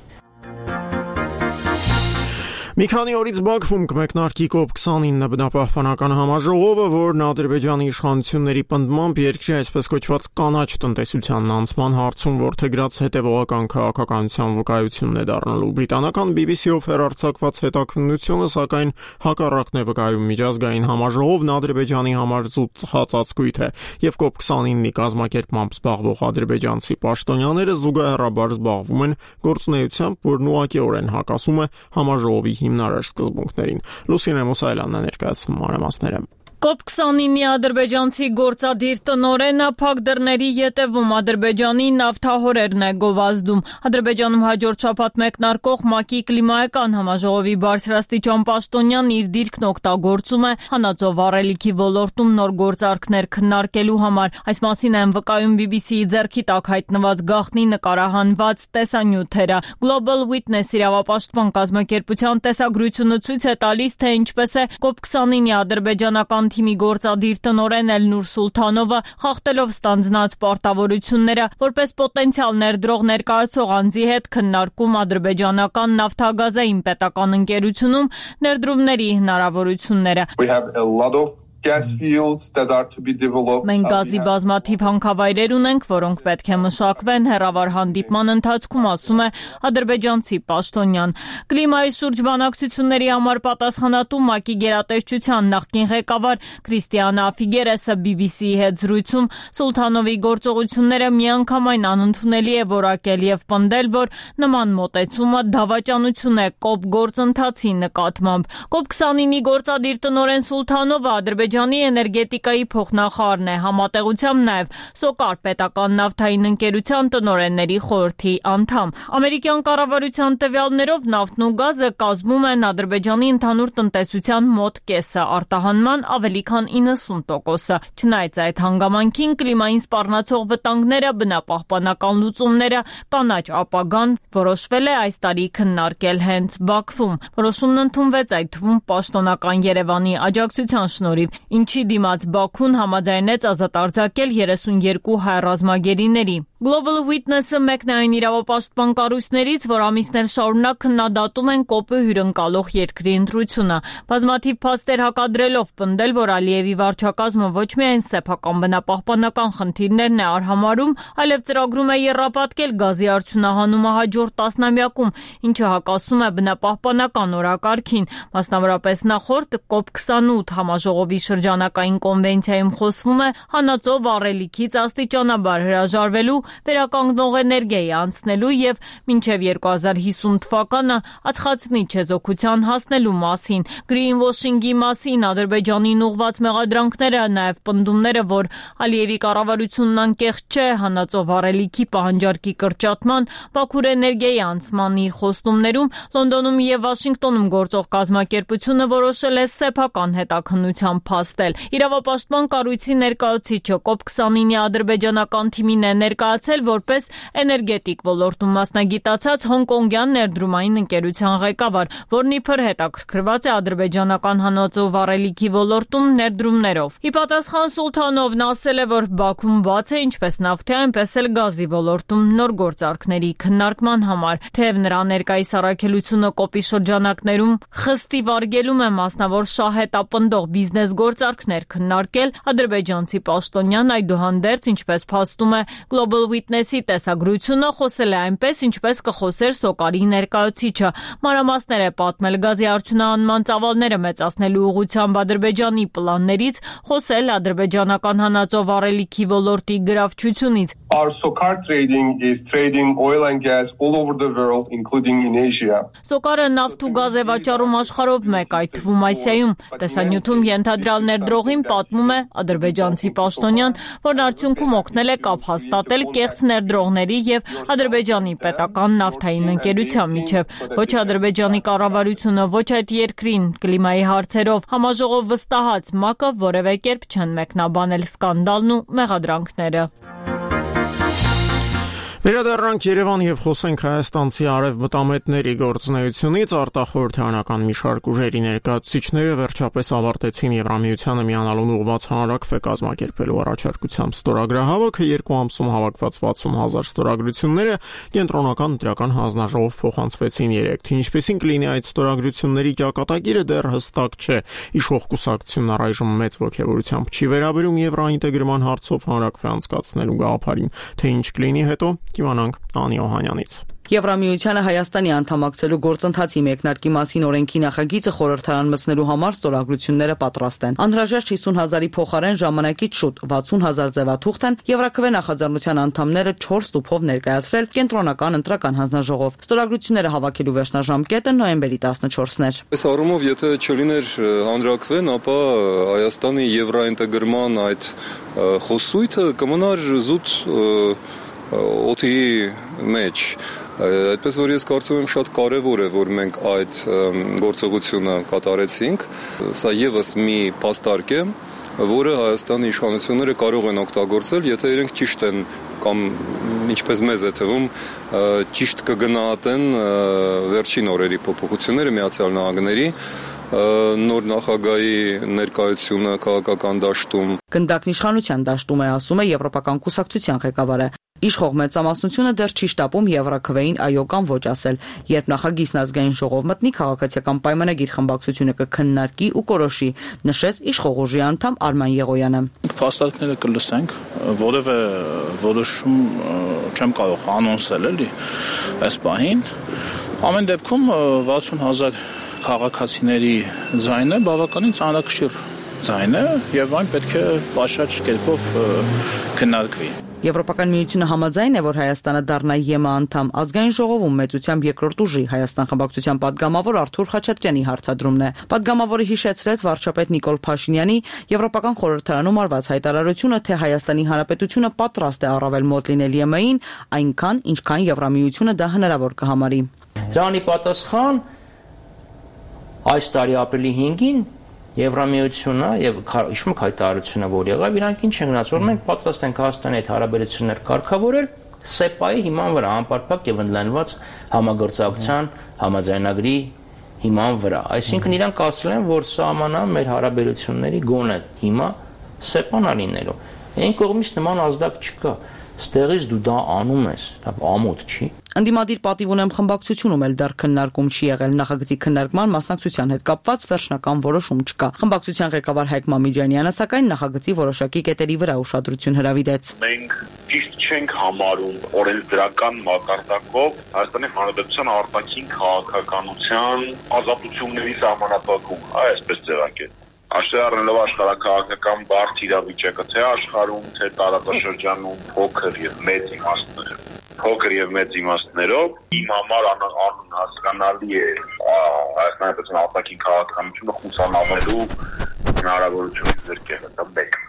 Մի քանի օրից Բաքվում կմեկնարկի կոպ քսանինը բնապահպանական համաժողովը, որն Ադրբեջանի իշխանությունների պնդմամբ երկրի այսպես կոչված կանաչ տնտեսության անցման հարցում որդեգրած հետևողական քաղաքականության վկայությունն է դառնալու։ Բրիտանական B B C-ով հեռարձակված հետաքննությունը, սակայն, հակառակն է վկայում միջազգային համաժողովն Ադրբեջանի համար զուտ ծխածածկույթ է, եւ կոպ քսանինի կազմակերպմամբ զբաղվող ադրբեջանցի պաշտոնյաները զուգահեռաբար զբաղվում են գործունեությամբ, որն ուղղակիորեն հակասում է համաժողովի հիմնարար սկզբունքներին։ Լուսինե Մուսայելյանն է ներկայացնում մանրամասները։ կոպ քսանինի ադրբեջանցի գործադիր տնօրենը փակ դռների ետևում Ադրբեջանի նավթահորերն է գովազդում։ Ադրբեջանում հաջորդ շաբաթ մեկնարկող ՄԱԿ-ի կլիմայական համաժողովի բարձրաստիճան պաշտոնյան իր դիրքն օգտագործում է հանածո վառելիքի ոլորտում նոր գործարքներ քննարկելու համար։ Այս մասին են վկայում B B C-ի ձեռքի տակ հայտնված գաղտնի նկարահանված տեսանյութերը։ Global Witness իրավապաշտպան կազմակերպության տեսագրությունը ցույց է տալիս, թե ինչպես է կոպ քսանինի ադրբեջանական թիմի գործադիր տնօրեն Էլնուր Սուլթանովը խախտելով ստանձնած պարտավորությունները որպես պոտենցիալ ներդրող ներկայացող անձի հետ քննարկում ադրբեջանական նավթագազային պետական ընկերությունում ներդրումների հնարավորությունները։ Մենք գազի բազմաթիվ հանքավայրեր ունենք, որոնք պետք է մշակվեն, հեռավար հանդիպման ընթացքում ասում է ադրբեջանցի պաշտոնյան։ Կլիմայի շուրջ բանակցությունների համար պատասխանատու ՄԱԿ-ի գերատեսչության նախկին ղեկավար Քրիստիանա Ֆիգերեսը B B C-ի հետ զրույցում Սուլթանովի գործողությունները միանգամայն անընդունելի է որակել եւ պնդել, որ նման մոտեցումը դավաճանություն է կոպ գործընթացի նկատմամբ։ կոպ քսանինի գործադիր տնօրեն Սուլթանովը Ադրբեջանի Ադրբեջանի էներգետիկայի փոխնախարարն է, համատեղությամբ նաև Սոկար պետական նավթային ընկերության տնօրենների խորհրդի անդամ։ Ամերիկյան կառավարության տվյալներով նավթն ու գազը կազմում են Ադրբեջանի ընդհանուր տնտեսության մոտ կեսը, արտահանման ավելի քան իննսուն տոկոսը։ Չնայած այդ հանգամանքին կլիմային սպառնացող վտանգները, բնապահպանական լուծումները, կանաչ ապագան որոշվել է այս տարի քննարկել հենց Բաքվում։ Որոշումն ընդունվեց այդ թվում պաշտոնական Երևանի աջակցության շնորհիվ, ինչի դիմաց Բաքուն համաձայնեց ազատ արձակել երեսունյերկու հայ ռազմագերիների։ Global Witness-ը մեկն է այն իրավապաշտպան կառույցներից, որ ամիսներ շարունակ քննադատում են կոպը հյուրընկալող երկրի ընտրությունը։ Բազմաթիվ փաստեր հակադրելով պնդել, որ Ալիևի վարչակազմը ոչ միայն սեփական բնապահպանական խնդիրներն է արհամարհում, այլև ծրագրում է եռապատկել գազի արդյունահանումը հաջորդ տասնամյակում, ինչը հակասում է բնապահպանական օրակարգին։ Մասնավորապես նախորդ կոպ քսանութ համաժողովի շրջանակային կոնվենցիայում խոսվում է հանածո վառելիքից աստիճանաբար հրաժարվելու, վերականգնող էներգիայի անցնելու եւ մինչեւ երկու հազար հիսուն թվականը ածխածնի չեզոքության հասնելու մասին։ Գրինվոշինգի մասին Ադրբեջանին ուղղված մեղադրանքները, նաեւ պնդումները, որ Ալիևի կառավարությունն անկեղծ չէ հանածո վառելիքի պահանջարկի կրճատման, Բաքուր էներգիայի անցման իր խոստումներում Լոնդոնում եւ Վաշինգտոնում գործող կազմակերպությունը որոշել է սեփական հետաքննության փաստել։ Իրավապաշտպան կառույցի ներկայացուցիչը կոպ քսանինի ադրբեջանական թիմին է ներկայացել որպես էներգետիկ ոլորտում մասնագիտացած հոնկոնգյան ներդրումային ընկերության ղեկավար, որն իբր հետաքրքրված է ադրբեջանական հանածո վառելիքի ոլորտում ներդրումներով։ Ի պատասխան Սուլթանովն ասել է, որ Բաքուն բաց է ինչպես նավթի, այնպես էլ գազի ոլորտում նոր գործարքների քննարկման համար։ Թեև նրա ներկայիս առաքելությունը կոպի շրջանակներում խստի վարգելում է մասնավոր շահետապնդող բիզնես գործարքներ քննարկել, ադրբեջանցի պաշտոնյան այդուհանդերձ, ինչպես փաստում է Global Witness-ի տեսագրությունը, խոսել է այնպես, ինչպես կխոսեր Սոկարի ներկայացուցիչը։ Մանրամասներ է պատմել գազի արդյունահանման ծավալները մեծացնելու ուղղությամբ Ադրբեջանի պլաններից, խոսել ադրբեջանական հանածո վառելիքի ոլորտի գրավչությունից։ Our Sokar trading is trading oil and gas all over the world, including in Asia. Սոկարը նավթ ու գազ է վաճառում աշխարհով մեկ, այդ թվում Ասիայում։ Տեսանյութում ենթադրյալ ներդրողին պատմում է ադրբեջանցի պաշտոնյան, որն արդյունքում օգնել է կապ հաստատել կեղծ ներդրողների եւ Ադրբեջանի պետական նավթային ընկերության միջև։ Ոչ Ադրբեջանի կառավարությունը, ոչ այդ երկրին կլիմայի հարցերով համաժողով վստահած ՄԱԿ-ը որևէ կերպ չեն մեկնաբանել սկանդալն ու մեղադրանքները։ Վերադառնանք Երևան եւ խոսենք հայաստանցի արևմտամետների գործունեությունից. արտախորհրդարանական մի շարք ուժերի ներկայացուցիչները վերջապես ավարտեցին Եվրամիությանը միանալուն ուղղված հանրաքվե կազմակերպելու առաջարկությամբ ստորագրահավաքը. Երկու ամսում հավաքված վաթսուն հազար ստորագրությունները կենտրոնական ընտրական հանձնաժողով փոխանցվեցին երեկ. Թե ինչպեսին կլինի այդ ստորագրությունների ճակատագիրը դեռ հստակ չէ. Իշխող կուսակցությունն առայժմ մեծ ոգևորությամբ չի վերաբերում եվրոինտեգրման հարցով հանրաքվե անցկացնելու գաղափարին. Թե ինչ կլինի հետո Կիմանանք Անի Օհանյանից։ Եվրամիությանը Հայաստանի անդամակցելու գործընթացի մեկնարկի մասին օրենքի նախագիծը խորհրդարան մտցնելու համար ստորագրությունները պատրաստ են։ Անհրաժեշտ հիսուն հազարի փոխարեն ժամանակից շուտ վաթսուն հազար ձևաթուղթ են Եվրաքվե նախաձեռնության անդամները չորս տուփով ներկայացրել կենտրոնական ընտրական հանձնաժողով։ Ստորագրությունները հավաքելու վերջնաժամկետը նոյեմբերի տասնչորսն էր։ Այս առումով, եթե չլիներ հանրաքվեն, ապա Հայաստանի եվրոինտեգրման այդ խոսույթը կմնար զուտ օդի մեջ։ Այդպես որ ես կարծում եմ շատ կարևոր է, որ մենք այդ գործողությունը կատարեցինք։ Սա եւս մի փաստարկ է, որը Հայաստանի իշխանությունները կարող են օգտագործել, եթե իրենք ճիշտ են կամ ինչպես մեզ է թվում, ճիշտ կգնահատեն վերջին օրերի փոփոխությունները Միացյալ Նահանգների նոր նախագահի ներկայությունը քաղաքական դաշտում։ Գնդակն իշխանության դաշտում է, ասում է Եվրոպական կուսակցության ղեկավարը։ Իշխող մեծամասնությունը դեռ չի շտապում Եվրաքվեին այո կամ ոչ ասել։ Երբ նախագիծն ազգային ժողով մտնի, քաղաքացիական պայմանագիր խմբակցությունը կքննարկի ու կորոշի, նշեց իշխող ուժի անդամ Արման Եղոյանը։ Փաստարկները կլսենք, որևէ որոշում չեմ կարող անոնսել էլի այս պահին։ Ամեն դեպքում վաթսուն հազար քաղաքացիների ձայնը բավականին ծանրակշիռ ձայն է եւ այն պետք է պատշաճ կերպով քննարկվի։ Եվրոպական միությունը համաձայն է, որ Հայաստանը դառնա ԵՄ անդամ։ Ազգային ժողովում մեծությամբ երկրորդ ուժի Հայաստան խմբակցության падգամավոր Արթուր Խաչատրյանի հարցադրումն է։ Падգամավորը հիշեցրեց վարչապետ Նիկոլ Փաշինյանի Եվրոպական խորհրդարանում արված հայտարարությունը, թե Հայաստանի Հանրապետությունը պատրաստ է առավել մոտ լինել ԵՄ-ին, այնքան, ինչքան Եվրամիությունը դա հնարավոր կհամարի։ Դրանի պատասխան այս տարի ապրիլի հինգին Եվրամիությունը եւ հիշում եք հայտարարությունը, որ եղավ, իրանք ինչ են գնաց, որ մենք պատրաստ ենք Հայաստանի հետ հարաբերություններ կարգավորել սեպայի հիման վրա, անպարփակ եւ ընդլայնված համագործակցության համաձայնագրի հիման վրա։ Այսինքն իրանք ասել են, որ սահմանա մեր հարաբերությունների գոնե հիմա սեպան լինելու։ Այն կողմից նման ազդակ չկա։ Ստեղից դու դա անում ես, դա ամոթ չի։ Անդիմադիր պատիվ ունեմ խմբակցությունում էլ դեռ քննարկում չի եղել, նախագծի քննարկման մասնակցության հետ կապված վերջնական որոշում չկա։ Խմբակցության ղեկավար Հայկ Մամիջանյանը սակայն նախագծի որոշակի կետերի վրա ուշադրություն հրավիրեց։ Մենք ճիշտ չենք համարում օրենսդրական մակարդակով Հայաստանի Հանրապետության արտաքին քաղաքականության ազատությունների սահմանափակում, այսպես ձևակերպել։ Աշխարհ առնելով աշխարհակաղակական բարդ իրավիճակը, թե աշխարհում, թե տարածաշրջանում փոքր եւ մեծ իմաստներ, փոքր եւ մեծ իմաստներով իմ համար անհասկանալի է Հայաստանի Հանրապետության արտաքին քաղաքականությունը խուսանավելու հնարավորությունից զրկելը, դա մեկ։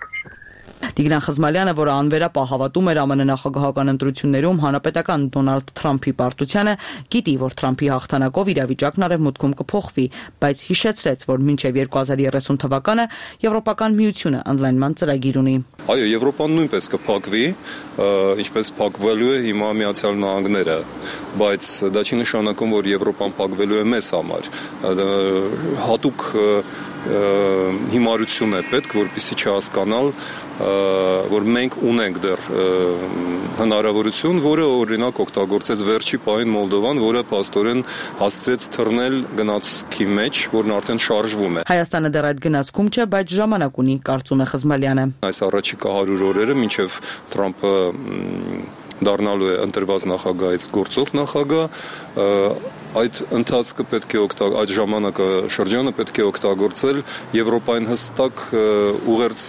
Տիգրան Խզմալյանը, որը անվերապահ հավատում էր ԱՄՆ նախագահական ընտրություններում հանրապետական Դոնալդ Թրամփի պարտությանը, գիտի, որ Թրամփի հաղթանակով իրավիճակն արևմուտքում կփոխվի, բայց հիշեցրեց, որ մինչև երկու հազար երեսուն թվականը Եվրոպական միությունը ընդլայնման ծրագիր ունի։ Այո, Եվրոպան նույնպես կփակվի, ինչպես փակվելու է հիմա Միացյալ Նահանգները, բայց դա չի նշանակում, որ Եվրոպան փակվելու է մեզ համար։ Հատուկ հիմարություն է պետք, որպեսզի չհասկանալ, որ մենք ունենք դեռ հնարավորություն, որը օրինակ օգտագործեց վերջի պահին Մոլդովան, որը փաստորեն հասցրեց թռնել գնացքի մեջ, որն արդեն շարժվում է։ Հայաստանը դեռ այդ գնացքում չէ, բայց ժամանակ ունի, կարծում է Խզմալյանը։ Այս առաջիկա հարյուր օրերը մինչև Թրամփը դառնալու է ընտրված նախագահից գործող նախագահ, այդ ընթացքը պետք է օգտագործել, այդ ժամանակը շրջանը պետք է օգտագործել Եվրոպային հստակ ուղերձ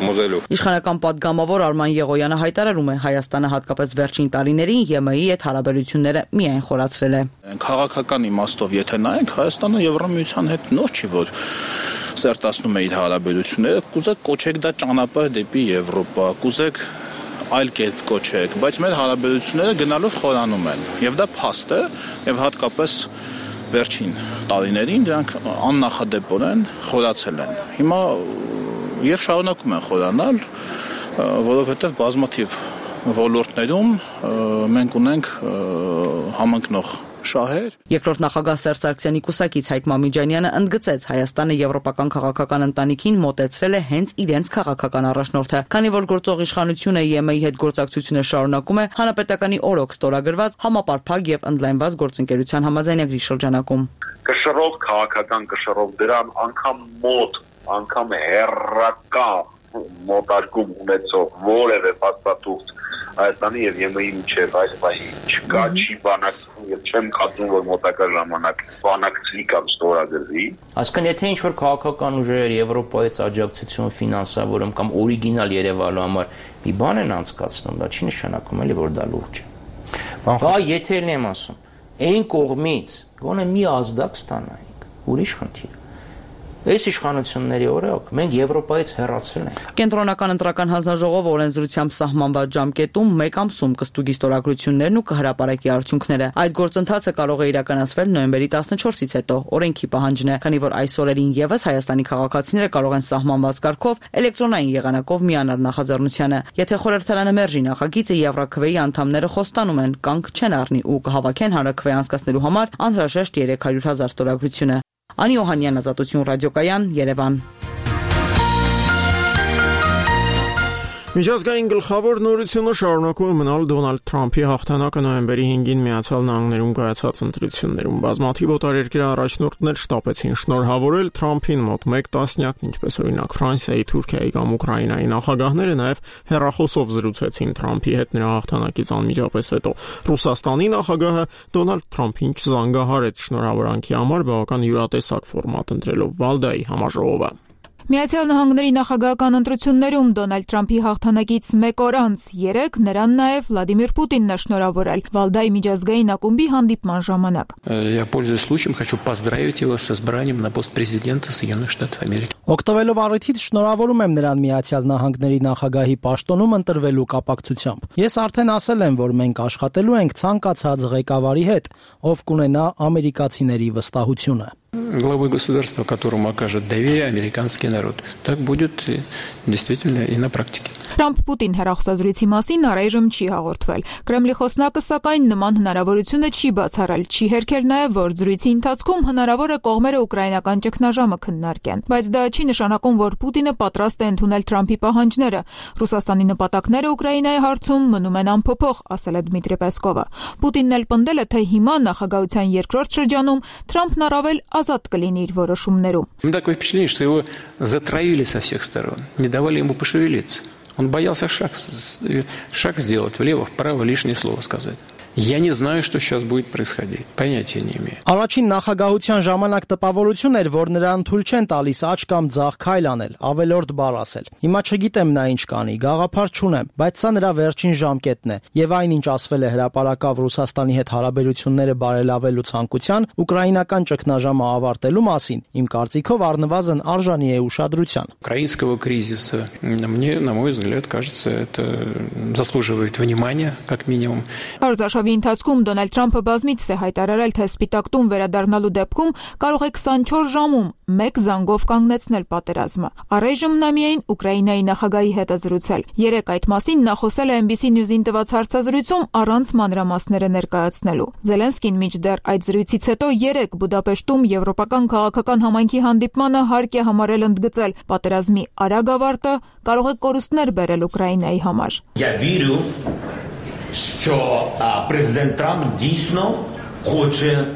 մղելու։ Իշխանական падգամավոր Արման Եղոյանը հայտարարում է, Հայաստանը հատկապես վերջին տարիներին ԵՄ-ի հետ հարաբերությունները միայն խորացրել է։ Քաղաքական իմաստով եթե նայենք, Հայաստանը Եվրամիության հետ նոր չի, որ սերտացնում է իր հարաբերությունները, կուզեք կոչեք դա ճանապարհ դեպի Եվրոպա, կուզեք այլ կերպ կոչեք, բայց մեր հարաբերությունները գնալով խորանում են, եւ դա փաստ է, եւ հատկապես վերջին տարիներին դրանք աննախադեպորեն խորացել են։ Հիմա եւ շարունակում են խորանալ, որովհետեւ բազմաթիվ ոլորտներում մենք ունենք համընկնող շահեր։ Երկրորդ նախագահ Սերժ Սարգսյանի կուսակից Հայկ Մամիջանյանը ընդգծեց Հայաստանը եվրոպական քաղաքական ընտանիքին մոտեցրել է հենց իրենց քաղաքական առաջնորդը, քանի որ գործող իշխանությունը ԵՄ-ի հետ գործակցությունը շարունակում է հանրապետականի օրոք ստորագրված համապարփակ եւ ընդլայնված գործընկերության համաձայնագրի շրջանակում։ Կշռով քաղաքական կշռով դրան անգամ մոտ, անգամ հերրական մոտարկում ունեցող որևէ փաստաթուղթ Հայաստանի եւ ԵՄ-ի միջև այս բանի չկա, չի բանակցում եւ չեմ կարծում, որ մոտակա ժամանակ բանակցվի կամ ստորագրվի։ Այսինքն եթե ինչ-որ քաղաքական ուժեր Եվրոպայից աջակցություն ֆինանսավորում կամ օրիգինալ Երևանու համար մի բան են անցկացնում, դա չի նշանակում էլի, որ դա լուրջ է։ Բա եթե եմ ասում, այն կողմից գոնե մի ազդակ ստանայինք, ուրիշ խնդիր։ Այս իշխանությունների օրոք մենք Եվրոպայից հեռացել ենք։ Կենտրոնական ընտրական հանձնաժողովը օրենսդրությամբ սահմանված ժամկետում մեկ ամսում կստուգի ստորագրություններն ու կհրապարակի արդյունքները։ Այդ գործընթացը կարող է իրականացվել նոյեմբերի տասնչորսից հետո, օրենքի պահանջն է, քանի որ այս օրերին եւս Հայաստանի քաղաքացիները կարող են սահմանված կարգով էլեկտրոնային եղանակով միանալ նախաձեռնությանը։ Եթե խորհրդարանը մերժի նախագիծը, Եվրաքվեի անդամները խոստանում են կանգ չեն առնի ու կհավաքեն հանրաքվե անցկացնելու համար անհրաժեշտ երեք հարյուր հազար ստորագրությունը։ Անի Օհանյան, Ազատություն ռադիոկայան, Երևան։ Միջազգային գլխավոր նորությունը շարունակում է մնալ Դոնալդ Թրամփի հաղթանակը նոյեմբերի հինգին Միացյալ Նահանգներում կայացած ընտրություններում։ Բազմաթիվ օտարերկրյա առաջնորդներ շտապեցին շնորհավորել Թրամփին մոտ մեկ տասնյակ, ինչպես օրինակ Ֆրանսիայի, Թուրքիայի կամ Ուկրաինայի նախագահները նաև հեռախոսով զրուցեցին Թրամփի հետ նրա հաղթանակից անմիջապես հետո։ Ռուսաստանի նախագահը Դոնալդ Թրամփին չզանգահարեց շնորհավորանքի համար բավական յուրատեսակ ֆորմատ ընտրելով Վալդայի համաժողովը։ Միացյալ Նահանգների նախագահական ընտրություններում Դոնալդ Թրամփի հաղթանակից մեկ օր անց երեկ նրան նաև Վլադիմիր Պուտինն է շնորհավորել Վալդայի միջազգային ակումբի հանդիպման ժամանակ։ Я пользуясь случаем, хочу поздравить его с избранием на пост президента Соединенных Штатов Америки. Օգտվելով առիթից շնորհավորում եմ նրան Միացյալ Նահանգների նախագահի պաշտոնում ընտրվելու կապակցությամբ։ Ես արդեն ասել եմ, որ մենք աշխատելու ենք ցանկացած ղեկավարի հետ, ով կունենա ամերիկացիների վստահությունը։ Главой государства, которому окажет доверие американский народ. Так будет действительно и на практике. Թրամփ-Պուտին հեռախոսազրույցի մասին առայժմ չի հաղորդվել։ Կրեմլի խոսնակը սակայն նման հնարավորությունը չի բացառել, չի հերքել նաև, որ զրույցի ընթացքում հնարավոր է կողմերը ուկրաինական ճգնաժամը քննարկեն։ Բայց դա չի նշանակում, որ Պուտինը պատրաստ է ընդունել Թրամփի պահանջները։ Ռուսաստանի նպատակները Ուկրաինայի հարցում մնում են անփոփոխ, ասել է Դմիտրի Պեսկովը։ Պուտինն էլ պնդել է, թե հիմա նախագահության երկրորդ շրջանում Թրամփն առավել ազատ կլինի իր որոշումներում։ Такое впечатление, что его затравили со всех сторон, не давали ему пошевелиться. Он боялся шаг, шаг сделать влево, вправо, лишнее слово сказать. Я не знаю, что сейчас будет происходить. Понятия не имею. Առաջին նախագահության ժամանակ տպավորություն էր, որ նրան թույլ չեն տալիս աճ կամ ձախ քայլ անել, ավելորդ բառ ասել։ Հիմա չգիտեմ նա ինչ կանի, գաղափար չունեմ, բայց սա նրա վերջին ժամկետն է, եւ այնինչ ասվել է հրապարակավ Ռուսաստանի հետ հարաբերությունները բարելավելու ցանկության, ուկրաինական ճգնաժամը ավարտելու մասին, իմ կարծիքով առնվազն արժանի է ուշադրության։ Украинского кризиса, мне, на мой взгляд, кажется, это заслуживает внимания, как минимум. Ընթացքում Դոնալդ Թրամփը բազմիցս է հայտարարել, թե Սպիտակ տուն վերադառնալու դեպքում կարող է քսանչորս ժամում մեկ զանգով կանգնեցնել պատերազմը։ Առայժմ նա միայն Ուկրաինայի նախագահի հետ է զրուցել։ Երեկ այդ մասին նա խոսել է Էն Բի Սի News-ին տված հարցազրույցում առանց մանրամասները ներկայացնելու։ Զելենսկին մինչդեռ այդ զրույցից հետո երեկ Բուդապեշտում եվրոպական քաղաքական համայնքի հանդիպմանը հարկ է համարել ընդգծել պատերազմի արագ ավարտը կարող է կորուստներ բերել Ուկրաինայի համար։ Що президент Трамп дійсно хоче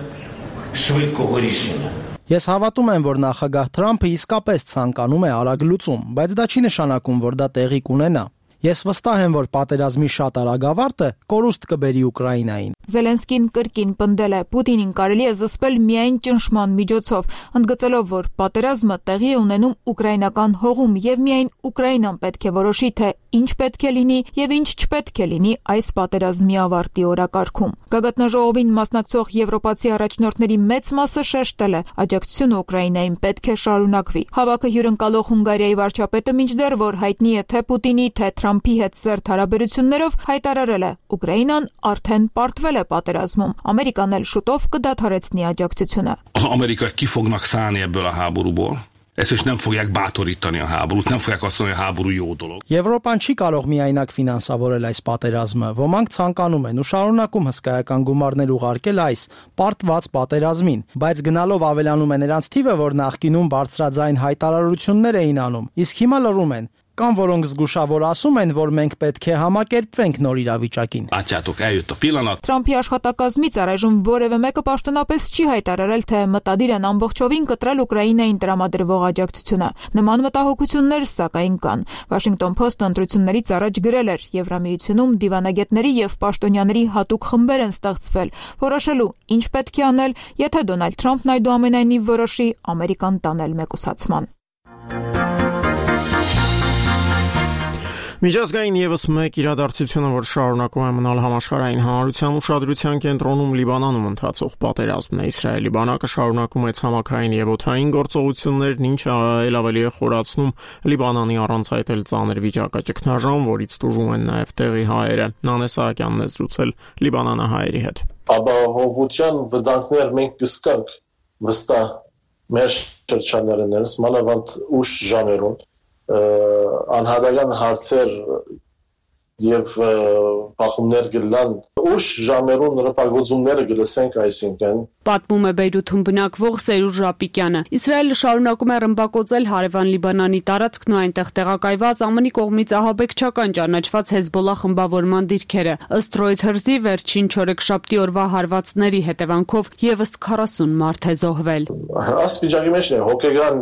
швидкого рішення. Ես հավատում եմ, որ նախագահ Թրամփը իսկապես ցանկանում է արագ լուծում, բայց դա չի նշանակում, որ դա տեղի կունենա։ Ես վստահ եմ, որ պատերազմի շատ արագ ավարտը կորուստ կբերի Ուկրաինային։ Զելենսկին կրկին պնդել է, Պուտինին կարելի է զսպել միայն ճնշման միջոցով, ընդգծելով, որ պատերազմը տեղի է ունենում ուկրաինական հողում եւ միայն Ուկրաինան պետք է որոշի, թե ինչ պետք է լինի եւ ինչ չպետք է լինի այս պատերազմի ավարտի օրակարգում։ Գագաթնաժողովին մասնակցող եվրոպացի առաջնորդների մեծ մասը շեշտել է, աջակցությունը Ուկրաինային պետք է շարունակվի։ Հավաքը հյուրընկալող Հունգարիայի վարչապետը մինչդեռ, որ հայտնի է թե Պուտինի, թե Թրամփի հետ սերտ հարաբերություններով, հայտարարել է, Ուկրաինան արդեն պարտվել է պատերազմում։ Ամերիկան էլ շուտով կդադարեցնի աջակցությունը։ Az amerikaiak ki fognak szállni ebből a háborúból. Es ist nem fogják bátorítani a háborút, nem fogják azt mondani, hogy a háború jó dolog. Եվրոպան չի կարող միայնակ ֆինանսավորել այս պատերազմը։ Ոմանք ցանկանում են ու շարունակում հսկայական գումարներ ուղարկել այս պարտված պատերազմին, բայց գնալով ավելանում է նրանց թիվը, որ նախկինում բարձրաձայն հայտարարություններ էին անում, իսկ հիմա լռում են։ Կամ որոնք զգուշավոր ասում են, որ մենք պետք է համակերպվենք նոր իրավիճակին։ Թրամփի աշխատակազմից առայժմ որևէ մեկը պաշտոնապես չի հայտարարել, թե մտադիր են ամբողջովին կտրել Ուկրաինային տրամադրվող աջակցությունը։ Նման մտահոգություններ սակայն կան։ Washington Post-ը ընտրություններից առաջ գրել էր. Եվրամիությունում դիվանագետների եւ պաշտոնյաների հատուկ խմբեր են ստեղծվել, որոշելու ինչ պետք է անել, եթե Դոնալդ Թրամփն այդուամենայնիվ որոշի Ամերիկան տանել մեկուսացման։ Միջազգային եւս մեկ իրադարձությունը, որ շարունակում է մնալ համաշխարհային հանրության ուշադրության կենտրոնում, Լիբանանում ընթացող պատերազմն է։ Իսրայելի բանակը շարունակում է ցամաքային եւ օդային գործողություններն, ինչը ել ավելի է խորացնում Լիբանանի առանց այդ էլ ծանր վիճակը։ Ճգնաժամ, որից տուժում են նաեւ տեղի հայերը։ Նանե Սահակյանն է զրուցել լիբանանահայերի հետ։ Ապահովության վտանգներ մենք կսկանք վստահ մեր շրջաններներս, մանավանդ ուշ ժամերուն անհատական հարցեր եւ բախումներ գլան ուշ ժամերուն ռպագոծումները գլսենք այսինքն պատմում է Բեյրութում բնակվող Սերուժ Ռապիկյանը։ Իսրայելը շարունակում է ռմբակոծել հարևան Լիբանանի տարածքն ու այնտեղ տեղակայված ԱՄՆ-ի կողմից ահաբեկչական ճանաչված Հեզբոլլա խմբավորման դիրքերը։ Ըստ Reuters-ի վերջին չորեքշաբթի օրվա հարվածների հետևանքով եւս քառասուն մարդ է զոհվել։ Այս վիճակի մեջ է հոգեգան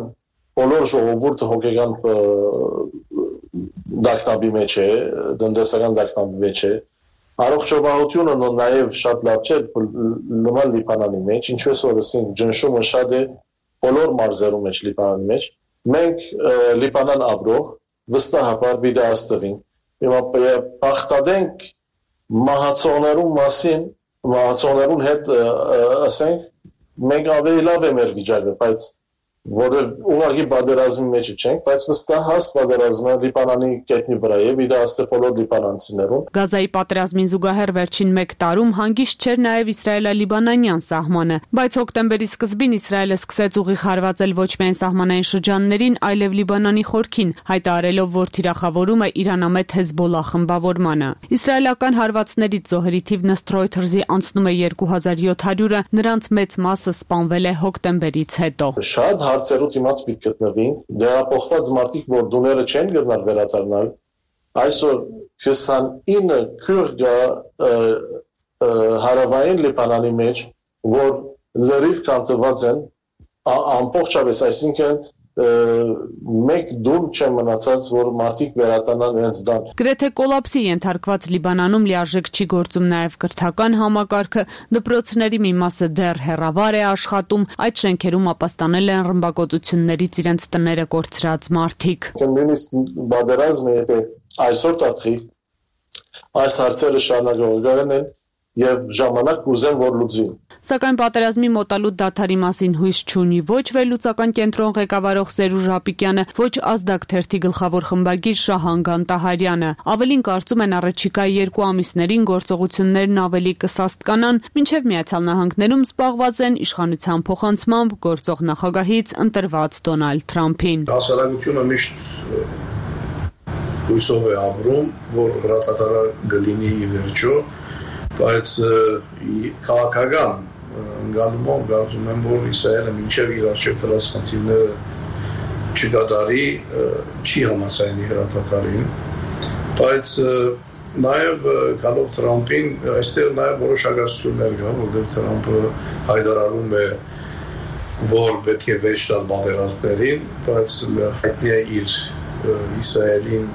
բոլոր ժողովուրդը հոգեգան դակնաբի մեջ է, դնդեսական դակնաբի մեջ է, առողջապահությունը նաև շատ լավ չէ նման Լիբանանի մեջ, ինչպես որ ասենք ջնշումը շատ է բոլոր մարզերում մեջ Լիբանանի մեջ, մենք Լիբանան ապրող վստահաբար բիդաստվին, հիմա պախտադենք մահացողներու մասին, մահացողներուն հետ ասենք մենք ավելի լավ է մեր վիճակը, բայց որը ուղղակի պատերազմի մեջ չենք, բայց վստահ հաս պատերազմը Լիբանանի կետնի վրա է, իդաստե բոլոր լիբանանցիներուն։ Գազայի պատերազմին զուգահեռ վերջին մեկ տարում հանգիստ չէր նաև իսրայելա-լիբանանյան սահմանը, բայց հոկտեմբերի սկզբին Իսրայելը սկսեց ուղիղ հարվածել ոչ միայն սահմանային շրջաններին, այլև Լիբանանի խորքին, հայտարարելով, որ թիրախավորում է իրանամետ Հեզբոլլա խմբավորմանը։ Իսրայելական հարվածներից զոհերի թիվն ըստ Reuters-ի անցնում է երկու հազար յոթ հարյուրը, նրանց մեծ մասը սպանվել է հոկտեմբերից հետո։ Շատ հարցերու դիմաց պիտի գտնվին, դերապոխված մարդիկ, որ դուները չեն գտնալ վերադառնալ, այսօր քսանինը քուրդ հարավային Լիբանանի մեջ, որ լրիվ կանտված են, ամբողջապես, այսինքն մեկ դում չեն մնացած, որ մարդիկ վերադառնան իրենց տան։ Գրեթե կոլապսի ենթարկված Լիբանանում լիարժեք չի գործում նաև կրթական համակարգը, դպրոցների մի մասը դեռ հեռավար է աշխատում, այդ շենքերում ապաստանել են ռմբակոծություններից իրենց տները կորցրած մարդիկ։ Նույնիսկ պատերազմը եթե այսօր տատխի, այս հարցերը շարունակողական են եւ ժամանակ կուզեն որ լուծվի։ Սակայն պատերազմի մոտալուտ դադարի մասին հույս չունի ոչ վերլուծական կենտրոն ղեկավարող Սերուժ Ռապիկյանը, ոչ Ազդակ թերթի գլխավոր խմբագիր Շահան Գանտահարյանը։ Ավելին կարծում են առաջիկա երկու ամիսներին գործողություններն ավելի կսաստկանան, մինչև Միացյալ Նահանգներում զբաղված են իշխանության փոխանցմամբ գործող նախագահից ընտրված Դոնալդ Թրամփին։ Հասարակությունը միշտ հույսով է ապրում, որ հրատատարը կլինի ի վերջո, բայց քաղաքական ընկալումով կարծում եմ, որ Իսրայելը մինչև իր առջև դրած խնդիրները չկատարի, չի համաձայնի հրատատարին, բայց նաև գալով Թրամփին, այստեղ նաև որոշ ագասություններ կա, որտեղ Թրամփը հայտարարում է, որ պետք է վեճ տալ պատերազմներին, բայց հայտնի է իր Իսրայելին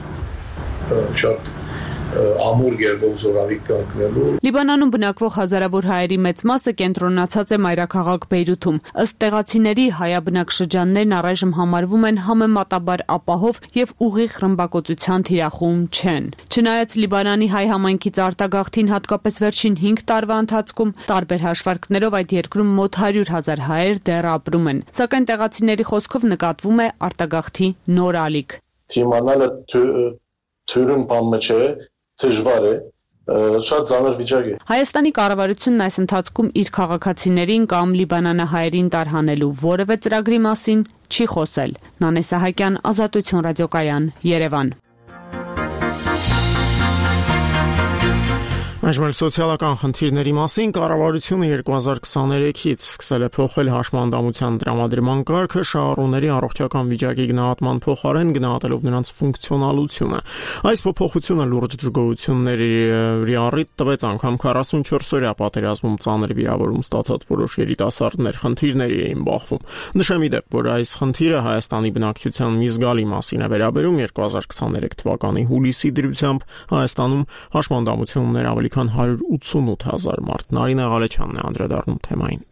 շատ ամուր գերբով զորավիք կանգնելու։ Լիբանանում բնակվող հազարավոր հայերի մեծ մասը կենտրոնացած է մայրաքաղաք Բեյրութում։ Ըստ տեղացիների հայաբնակ շրջաններն առայժմ համարվում են համեմատաբար ապահով եւ ուղիղ ռմբակոծության թիրախում չեն։ Չնայած Լիբանանի հայ համայնքից արտագաղթին հատկապես վերջին հինգ տարվա ընթացքում տարբեր հաշվարկներով այդ երկրում մոտ հարյուր հազար հայեր դեռ ապրում են։ Սակայն տեղացիների խոսքով նկատվում է արտագաղթի նոր ալիք։ Թիմանալը թյուրն բամը չէ, դժվար է, շատ ծանր վիճակ է։ Հայաստանի կառավարությունն այս ընթացքում իր քաղաքացիներին կամ լիբանանահայերին տարհանելու որևէ ծրագրի մասին չի խոսել։ Նանե Սահակյան, Ազատություն ռադիոկայան, Երևան։ Այժմ սոցիալական խնդիրների մասին կառավարությունը երկու հազար քսաներեքից սկսել է փոխել հաշմանդամության տրամադրման կարգը շահառուների առողջական վիճակի գնահատման փոխարեն գնահատելով նրանց ֆունկցիոնալությունը։ Այս փոփոխությունը լուրջ դժգոհությունների առիթ տվեց անգամ քառասունչորս օրյա պատերազմում ծանր վիրավորում ստացած որոշ երիտասարդներ խնդիրների էին բախվում։ Նշեմ ի դեպ, որ այս խնդիրը Հայաստանի բնակչության մի զգալի մասին է վերաբերում երկու հազար քսաներեք թվականի հուլիսի դրությամբ Հայաստանում հաշմանդամություններ ավելի քան հարյուր ութսունութ հազար մարդ։ Նարինե Ղալեչյանն է անդրադառնում թեմային։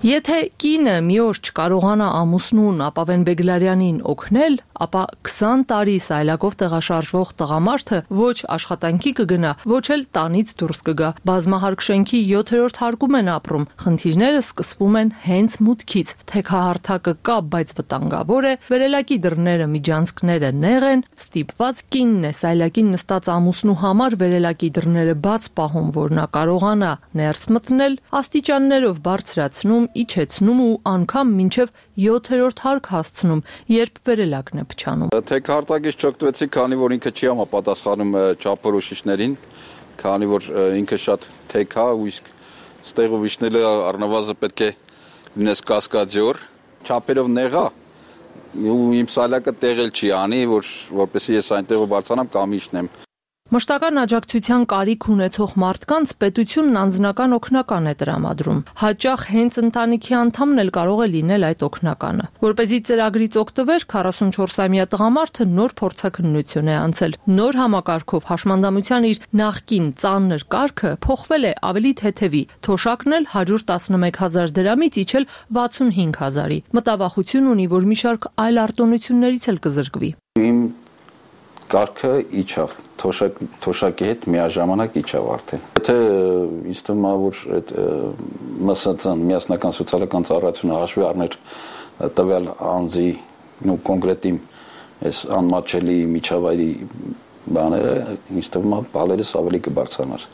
Եթե կինը մի օր չկարողանա ամուսնուն Ապավեն Բեգլարյանին օգնել, ապա քսան տարի սայլակով տեղաշարժվող տղամարդը ոչ աշխատանքի կգնա, ոչ էլ տանից դուրս կգա։ Բազմահարկ շենքի յոթերորդ հարկում են ապրում։ Խնդիրները սկսվում են հենց մուտքից։ Թեքահարթակը կա, բայց վտանգավոր է, վերելակի դռները միջանցքները նեղ են, ստիպված կինն է սայլակին նստած ամուսնու համար վերելակի դռները բաց պահում, որ նա կարողանա ներս մտնել, աստիճաններով բարձրացնում, իջեցնում ու անգամ մինչև յոթերորդ հարկ հասցնում, երբ վերելակն է փչանում։ Թեքահարտակից չօգտվեցի, քանի որ ինքը չի համապատասխանում չափորոշիչներին, քանի որ ինքը շատ թեք է ու իսկ ստեղով իջնելը առնվազն պետք է լինես կասկադյոր, չափերով նեղ է ու իմ սալակը տեղել չի անի, որ որպեսզի ես այնտեղով բարձրանամ կամ իջնեմ։ Մշտական աջակցության կարիք ունեցող մարդկանց պետությունն անձնական օգնական է տրամադրում։ Հաճախ հենց ընտանիքի անդամն էլ կարող է լինել այդ օգնականը։ Որպեսզի ծրագրից օգտվեր, քառասունչորսամյա տղամարդը նոր փորձաքննություն է անցել։ Նոր համակարգով հաշմանդամության իր նախկին ծանր կարգը փոխվել է ավելի թեթևի։ Թոշակն էլ հարյուր տասնմեկ հազար դրամից իջել վաթսունհինգ հազարի։ Մտավախություն ունի, որ մի շարք այլ արտոնություններից էլ կզրկվի։ Իմ կարգը իջավ, թոշակ, թոշակի հետ միաժամանակ իջավ արդեն։ Եթե ինձ թվում է, որ այդ ՄՍԾ-ն, միասնական սոցիալական ծառայությունը հաշվի առներ տվյալ անձի ու կոնկրետ իմ այս անմատչելի միջավայրի բաները, ինձ թվում է, բալերս ավելի կբարձրանար։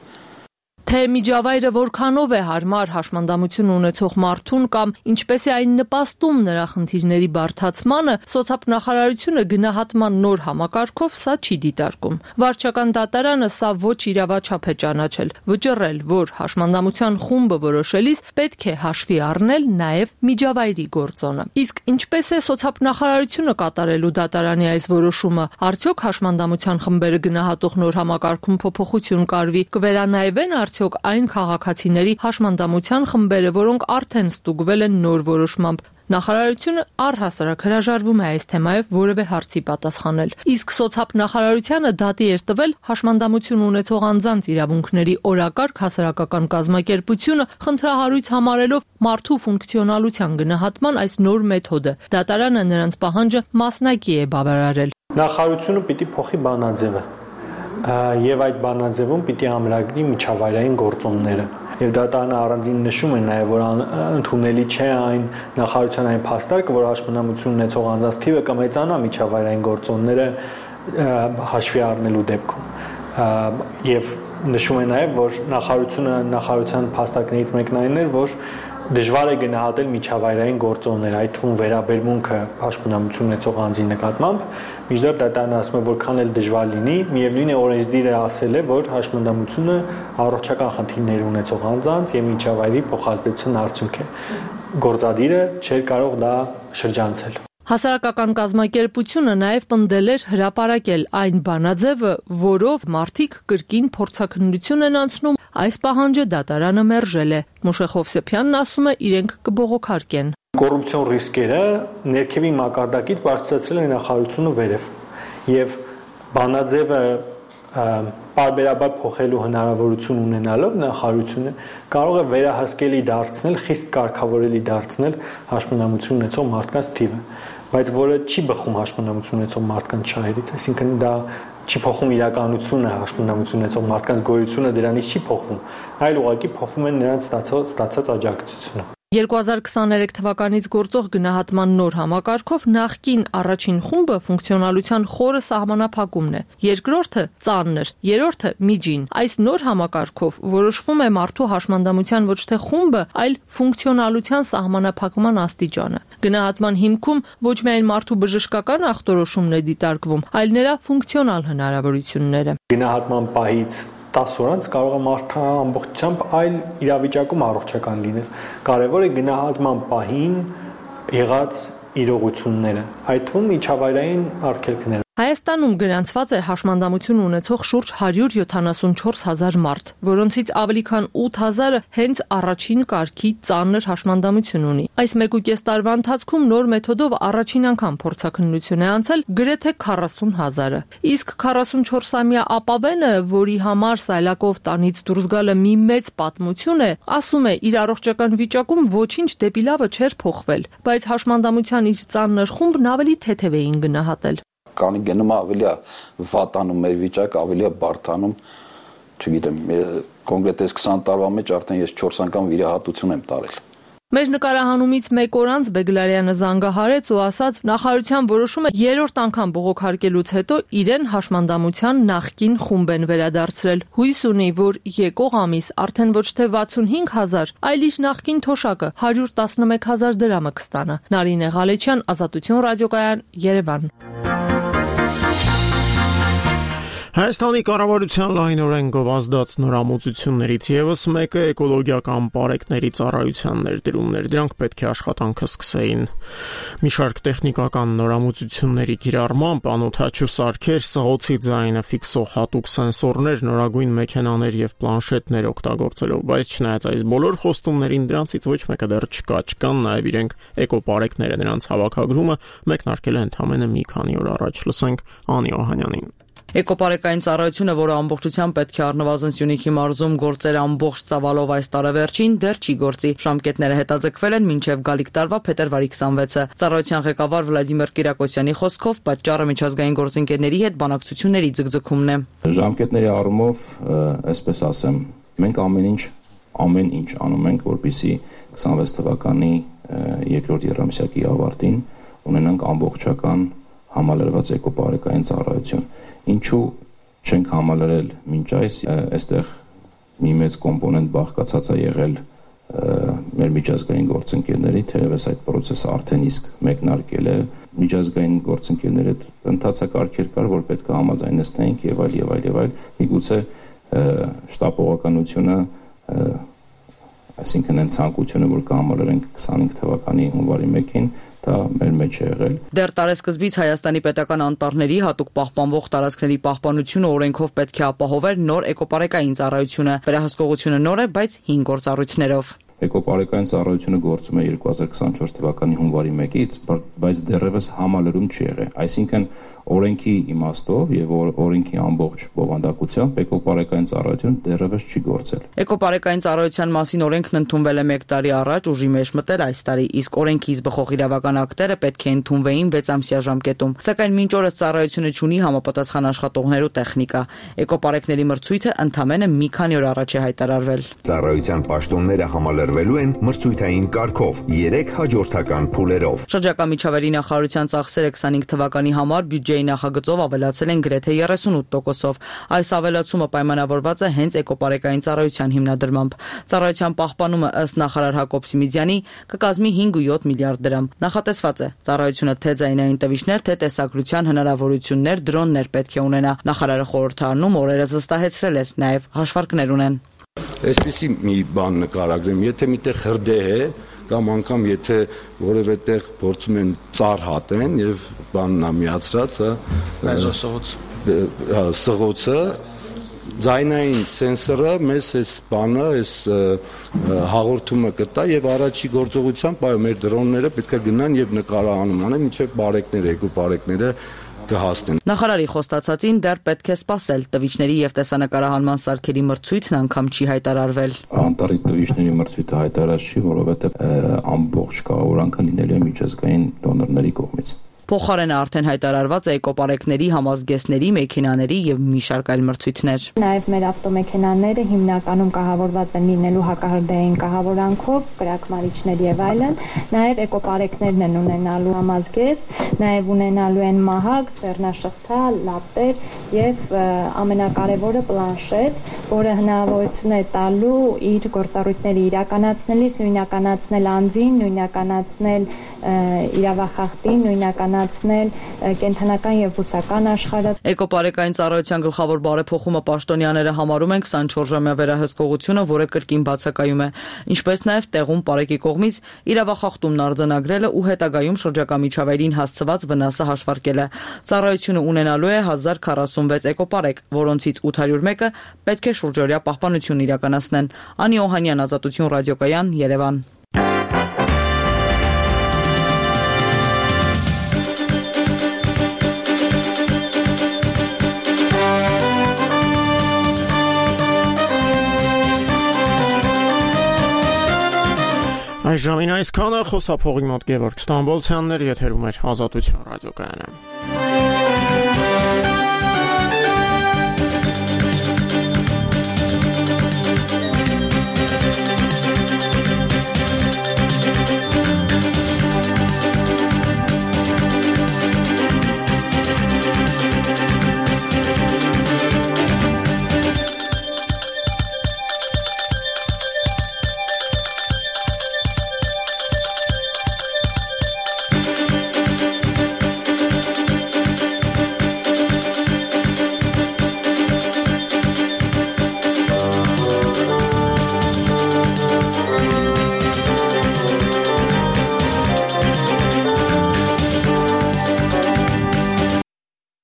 Թե միջավայրը որքանով է հարմար հաշմանդամություն ունեցող մարդուն կամ ինչպես է այն նպաստում նրա խնդիրների բարդացմանը, սոցիալնախարարությունը գնահատման նոր համակարգով սա չի դիտարկում։ Վարչական դատարանը սա ոչ իրավաչափ է ճանաչել, վճռել, որ հաշմանդամության խումբը որոշելիս պետք է հաշվի առնել նաև միջավայրի գործոնը։ Իսկ ինչպես է սոցիալնախարարությունը կատարելու դատարանի այս որոշումը, արդյոք հաշմանդամության խմբերը գնահատող նոր համակարգում փոփոխություն կարվի, կվերանայվեն արդյոք այն քաղաքացիների հաշմանդամության խմբերը, որոնք արդեն ստուգվել են նոր որոշմամբ։ Նախարարությունը առհասարակ հրաժարվում է այս թեմայով որևէ հարցի պատասխանել։ Իսկ սոցիալնախարարությունը դատի էր տվել հաշմանդամություն ունեցող անձանց իրավունքների օրակարգ հասարակական կազմակերպությունը խնդրահարույց համարելով մարդու ֆունկցիոնալության գնահատման այս նոր մեթոդը։ Դատարանը նրանց պահանջը մասնակի է բավարարել։ Նախարարությունը պիտի փոխի բանաձևը եւ այդ բանաձևում պիտի ամրագրի միջավայրային գործոնները։ Եվ դատարանը առանձին նշում է նաև, որ ընդունելի չէ այն նախարարության այն փաստարկը, որ հաշմանդամություն ունեցող անձանց թիվը կմեծանա միջավայրային գործոնները հաշվի առնելու դեպքում։ Եվ նշում է նաև, որ նախարարությունը նախարարության փաստարկներից մեկն այն էր, որ դժվար է գնահատել միջավայրային գործոններ, այդ թվում վերաբերմունքը հաշմանդամություն ունեցող անձի նկատմամբ, մինչդեռ դատարանը ասում է, որքան էլ դժվար լինի, միևնույն է օրենսդիրը ասել է, որ հաշմանդամությունը առողջական խնդիրներ ունեցող անձանց եւ միջավայրի փոխազդեցության արդյունք է։ Գործադիրը չէր կարող դա շրջանցել։ Հասարակական կազմակերպությունը նաև պնդել էր հրապարակել այն բանաձևը, որով մարդիկ կրկին փորձաքննություն են անցնում, այս պահանջը դատարանը մերժել է։ Մուշեղ Հովսեփյանն ասում է, իրենք կբողոքարկեն։ Կոռուպցիոն ռիսկերը ներքևի մակարդակից բարձրացրել է նախարարությունը վերև եւ բանաձևը պարբերաբար փոխելու հնարավորություն ունենալով նախարարությունը կարող է վերահսկելի դարձնել, խիստ կարգավորելի դարձնել հաշմանդամություն ունեցող մարդկանց թիվը, բայց որը չի բխում հաշմանդամություն ունեցող մարդկանց շահերից, այսինքն դա չի փոխում իրականությունը, հաշմանդամություն ունեցող մարդկանց գոյությունը դրանից չի փոխվում, այլ ուղղակի փոխվում է նրանց ստացած, ստացած աջակցությունը։ երկու հազար քսաներեք թվականից գործող գնահատման նոր համակարգով նախկին առաջին խումբը ֆունկցիոնալության խորը սահմանափակումն է, երկրորդը ծանր, երրորդը միջին։ Այս նոր համակարգով որոշվում է մարդու հաշմանդամության ոչ թե խումբը, այլ ֆունկցիոնալության սահմանափակման աստիճանը։ Գնահատման հիմքում ոչ միայն մարդու բժշկական ախտորոշումն է դիտարկվում, այլ նրա ֆունկցիոնալ հնարավորությունները։ Գնահատման պահից տասը օրանց կարող է մարդը ամբողջությամբ այլ իրավիճակում առողջական լինել։ Կարևոր է գնահատման պահին եղած իրողությունները, այդ թվում միջավայրային արգելքները։ Հայաստանում գրանցված է հաշմանդամություն ունեցող շուրջ հարյուր յոթանասունչորս հազար մարդ, որոնցից ավելի քան ութ հազարը հենց առաջին կարգի ծանր հաշմանդամություն ունի։ Այս մեկ ու կես տարվա ընթացքում նոր մեթոդով առաջին անգամ փորձաքննություն է անցել գրեթե քառասուն հազարը։ Իսկ քառասունչորսամյա ապավենը, որի համար սայլակով տանից դուրս գալը մի մեծ պատմություն է, ասում է, իր առողջական վիճակում ոչինչ դեպի լավը չէր փոխվել, բայց հաշմանդամության իր ծանր խումբն ավելի թեթև էին գնահատել։ Կանի գնում ավելի է վատանում մեր վիճակը, ավելի է բարդանում, չգիտեմ, կոնկրետ այս քսան տարվա մեջ արդեն ես չորս անգամ վիրահատություն եմ տարել։ Մեր նկարահանումից մեկ օր անց Բեգլարյանը զանգահարեց ու ասաց, նախարարության որոշումը երրորդ անգամ բողոքարկելուց հետո իրեն հաշմանդամության նախկին խումբ են վերադարձրել։ Հույս ունի, որ եկող ամիս արդեն ոչ թե վաթսունհինգ հազար, այլ իր նախկին թոշակը հարյուր տասնմեկ հազար դրամը կստանա։ Նարինե Ղալեչյան, Ազատություն ռադիոկայան, Երևան։ Հայաստանի կառավարության լայնորեն գովազդած նորամուծություններից ևս մեկը էկոլոգիական պարեկների ծառայության ներդրումներ, դրանք պետք է աշխատանքը սկսեին։ Մի շարք տեխնիկական նորամուծությունների կիրառմամբ անօդաչու սարքեր, սղոցի ձայնը ֆիքսող հատուկ սենսորներ, նորագույն մեքենաներ եւ պլանշետներ օգտագործելով, բայց չնայած այս բոլոր խոստումներին դրանցից ոչ մեկը դեռ չկա, չկան նաեւ իրենք էկոպարեկները, նրանց հավաքագրումը մեկնարկել է ընդամենը մի քանի օր առաջ։ Լսենք Անի Օհանյանին։ Էկոպարեկային ծառայությունը, որը ամբողջությամբ պետք է առնվազն Սյունիքի մարզում գործեր ամբողջ ծավալով այս տարեվերջին, դեռ չի գործի։ Ժամկետները հետաձգվել են մինչև գալիք տարվա փետրվարի քսանվեցը։ Ծառայության ղեկավար Վլադիմիր Կիրակոսյանի խոսքով պատճառը միջազգային գործընկերների հետ բանակցությունների ձգձգումն է։ Ժամկետների առումով, այսպես ասեմ, մենք ամեն ինչ ամեն ինչ անում ենք, որպեսզի քսանվեց թվականի երկրորդ եռամսյակի ավարտին ունենանք ամբողջական համալրված էկոպարեկային ծառայություն։ Ինչու չենք համալրել մինչ այս, այստեղ մի մեծ կոմպոնենտ բաղկացած է եղել մեր միջազգային գործընկերների, թերևս այդ process-ը արդեն իսկ մեկնարկել է, միջազգային գործընկերների հետ ընթացակարգեր կար, որ պետք է համաձայնեցնենք եւ այլ եւ այլ եւ այլ, միգուցե շտապողականությունը, այսինքն այն ցանկությունը, որ կհամալրենք քսանհինգ թվականի հունվարի մեկին, դա մեր մեջ է եղել։ Դեռ տարեսկզբից Հայաստանի պետական անտառների հատուկ պահպանվող տարածքների պահպանությունը օրենքով պետք է ապահովեր նոր էկոպարեկային ծառայությունը։ Վերահսկողությունը նոր է, բայց հին գործառույթներով։ Էկոպարեկային ծառայությունը գործում է երկու հազար քսանչորս թվականի հունվարի մեկից, բայց դեռևս համալրում չի եղել։ Այսինքն օրենքի իմաստով եւ օրենքի ամբողջ բովանդակությամբ էկոպարեկային ծառայությունը դեռևս չի գործել։ Էկոպարեկային ծառայության մասին օրենքն ընդունվել է մեկ տարի առաջ, ուժի մեջ մտել այս տարի, իսկ օրենքից բխող իրավական ակտերը պետք է ընդունվեին վեց ամսյա ժամկետում։ Սակայն մինչ օրս ծառայությունը ունի համապատասխան աշխատողներ ու տեխնիկա։ Էկոպարեկների մրցույթը ընդամենը մի քանի օր առաջ է հայտարարվել։ Ծառայության պաշտոնները համալրվելու են մրցույթային կարգով, երեք հաջորդական փուլերով։ Շրջակա միջավայրի նախարարության ծախսերը քսանհինգ թվականի համար բյուջեի նախագծով ավելացել են գրեթե երեսունութ տոկոսով։ Այս ավելացումը պայմանավորված է հենց էկոպարեկային ծառայության հիմնադրմամբ։ Ծառայության պահպանումը ըստ նախարար Հակոբ Սիմիձյանի կկազմի հինգ ու յոթ միլիարդ դրամ։ Նախատեսված է ծառայությունը թե ձայնային տվիչներ, թե տեսագրության հնարավորություններ, դրոններ պետք է ունենա։ Նախարարը խորհրդարանում օրերս վստահեցրել էր, նաև հաշվարկներ ունեն։ Այսպեսի մի բան նկարագրեմ, եթե միտեղ հրդեհ է կամ անգամ եթե որևէ տեղ փորձում են ծառ հատեն եւ բանն ամիացրած, հա, սղոցը, ձայնային սենսորը մեզ այս բանը, այս հաղորդումը կտա եւ առաջի գործողությամբ այո մեր դրոնները պետք է գնան եւ նկարահանում անեն, մինչեւ բարեկները, էկոպարեկները կհասնեն։ Նախարարի խոստացածին դեռ պետք է սպասել։ Տվիչների եւ տեսանկարահանման սարքերի մրցույթն անգամ չի հայտարարվել։ Անտարի տվիչների մրցույթը հայտարարած չի, որովհետեւ ամբողջ կառավարությունը լինելու է միջազգային դոնորների կողմից։ Փոխարենը արդեն հայտարարված է էկոպարեկների, համազգեստների, մեքենաների եւ մի շարք այլ մրցույթներ։ Նաեւ մեր ավտոմեքենաները հիմնականում կահավորված են լինելու հակահրդեհային կահավորանքով, կրակմարիչներ եւ այլն, նաեւ էկոպարեկներն են ունենալու համազգեստ, նաեւ ունենալու են մահակ, ձեռնաշղթա, լապտեր եւ ամենակարևորը պլանշետ, որը հնարավորություն է տալու իր գործառույթները իրականացնելիս նույնականացնել անձին, նույնականացնել իրավախախտին, նույնականացնել կենթանական եւ բուսական աշխարհը։ Էկոպարեկային ծառայության գլխավոր բարեփոխումը պաշտոնյաները համարում են քսանչորս ժամյա վերահսկողությունը, որը կրկին բացակայում է, ինչպես նաեւ տեղում պարեկի կողմից իրավախախտումն արձանագրելը ու հետագայում շրջակա միջավայրին հասցված վնասը հաշվարկելը։ Ծառայությունը ունենալու է հազար քառասունվեց էկոպարեկ, որոնցից ութ հարյուր մեկը պետք է շուրջօրյա պահպանություն իրականացնեն։ Անի Օհանյան, Ազատություն ռադիոկայան, Երևան։ Այժմին այսքանը, խոսափողի մոտ Գևորգ Ստամբոլցյանն էր, եթերում էր Ազատություն ռադիոկայանը։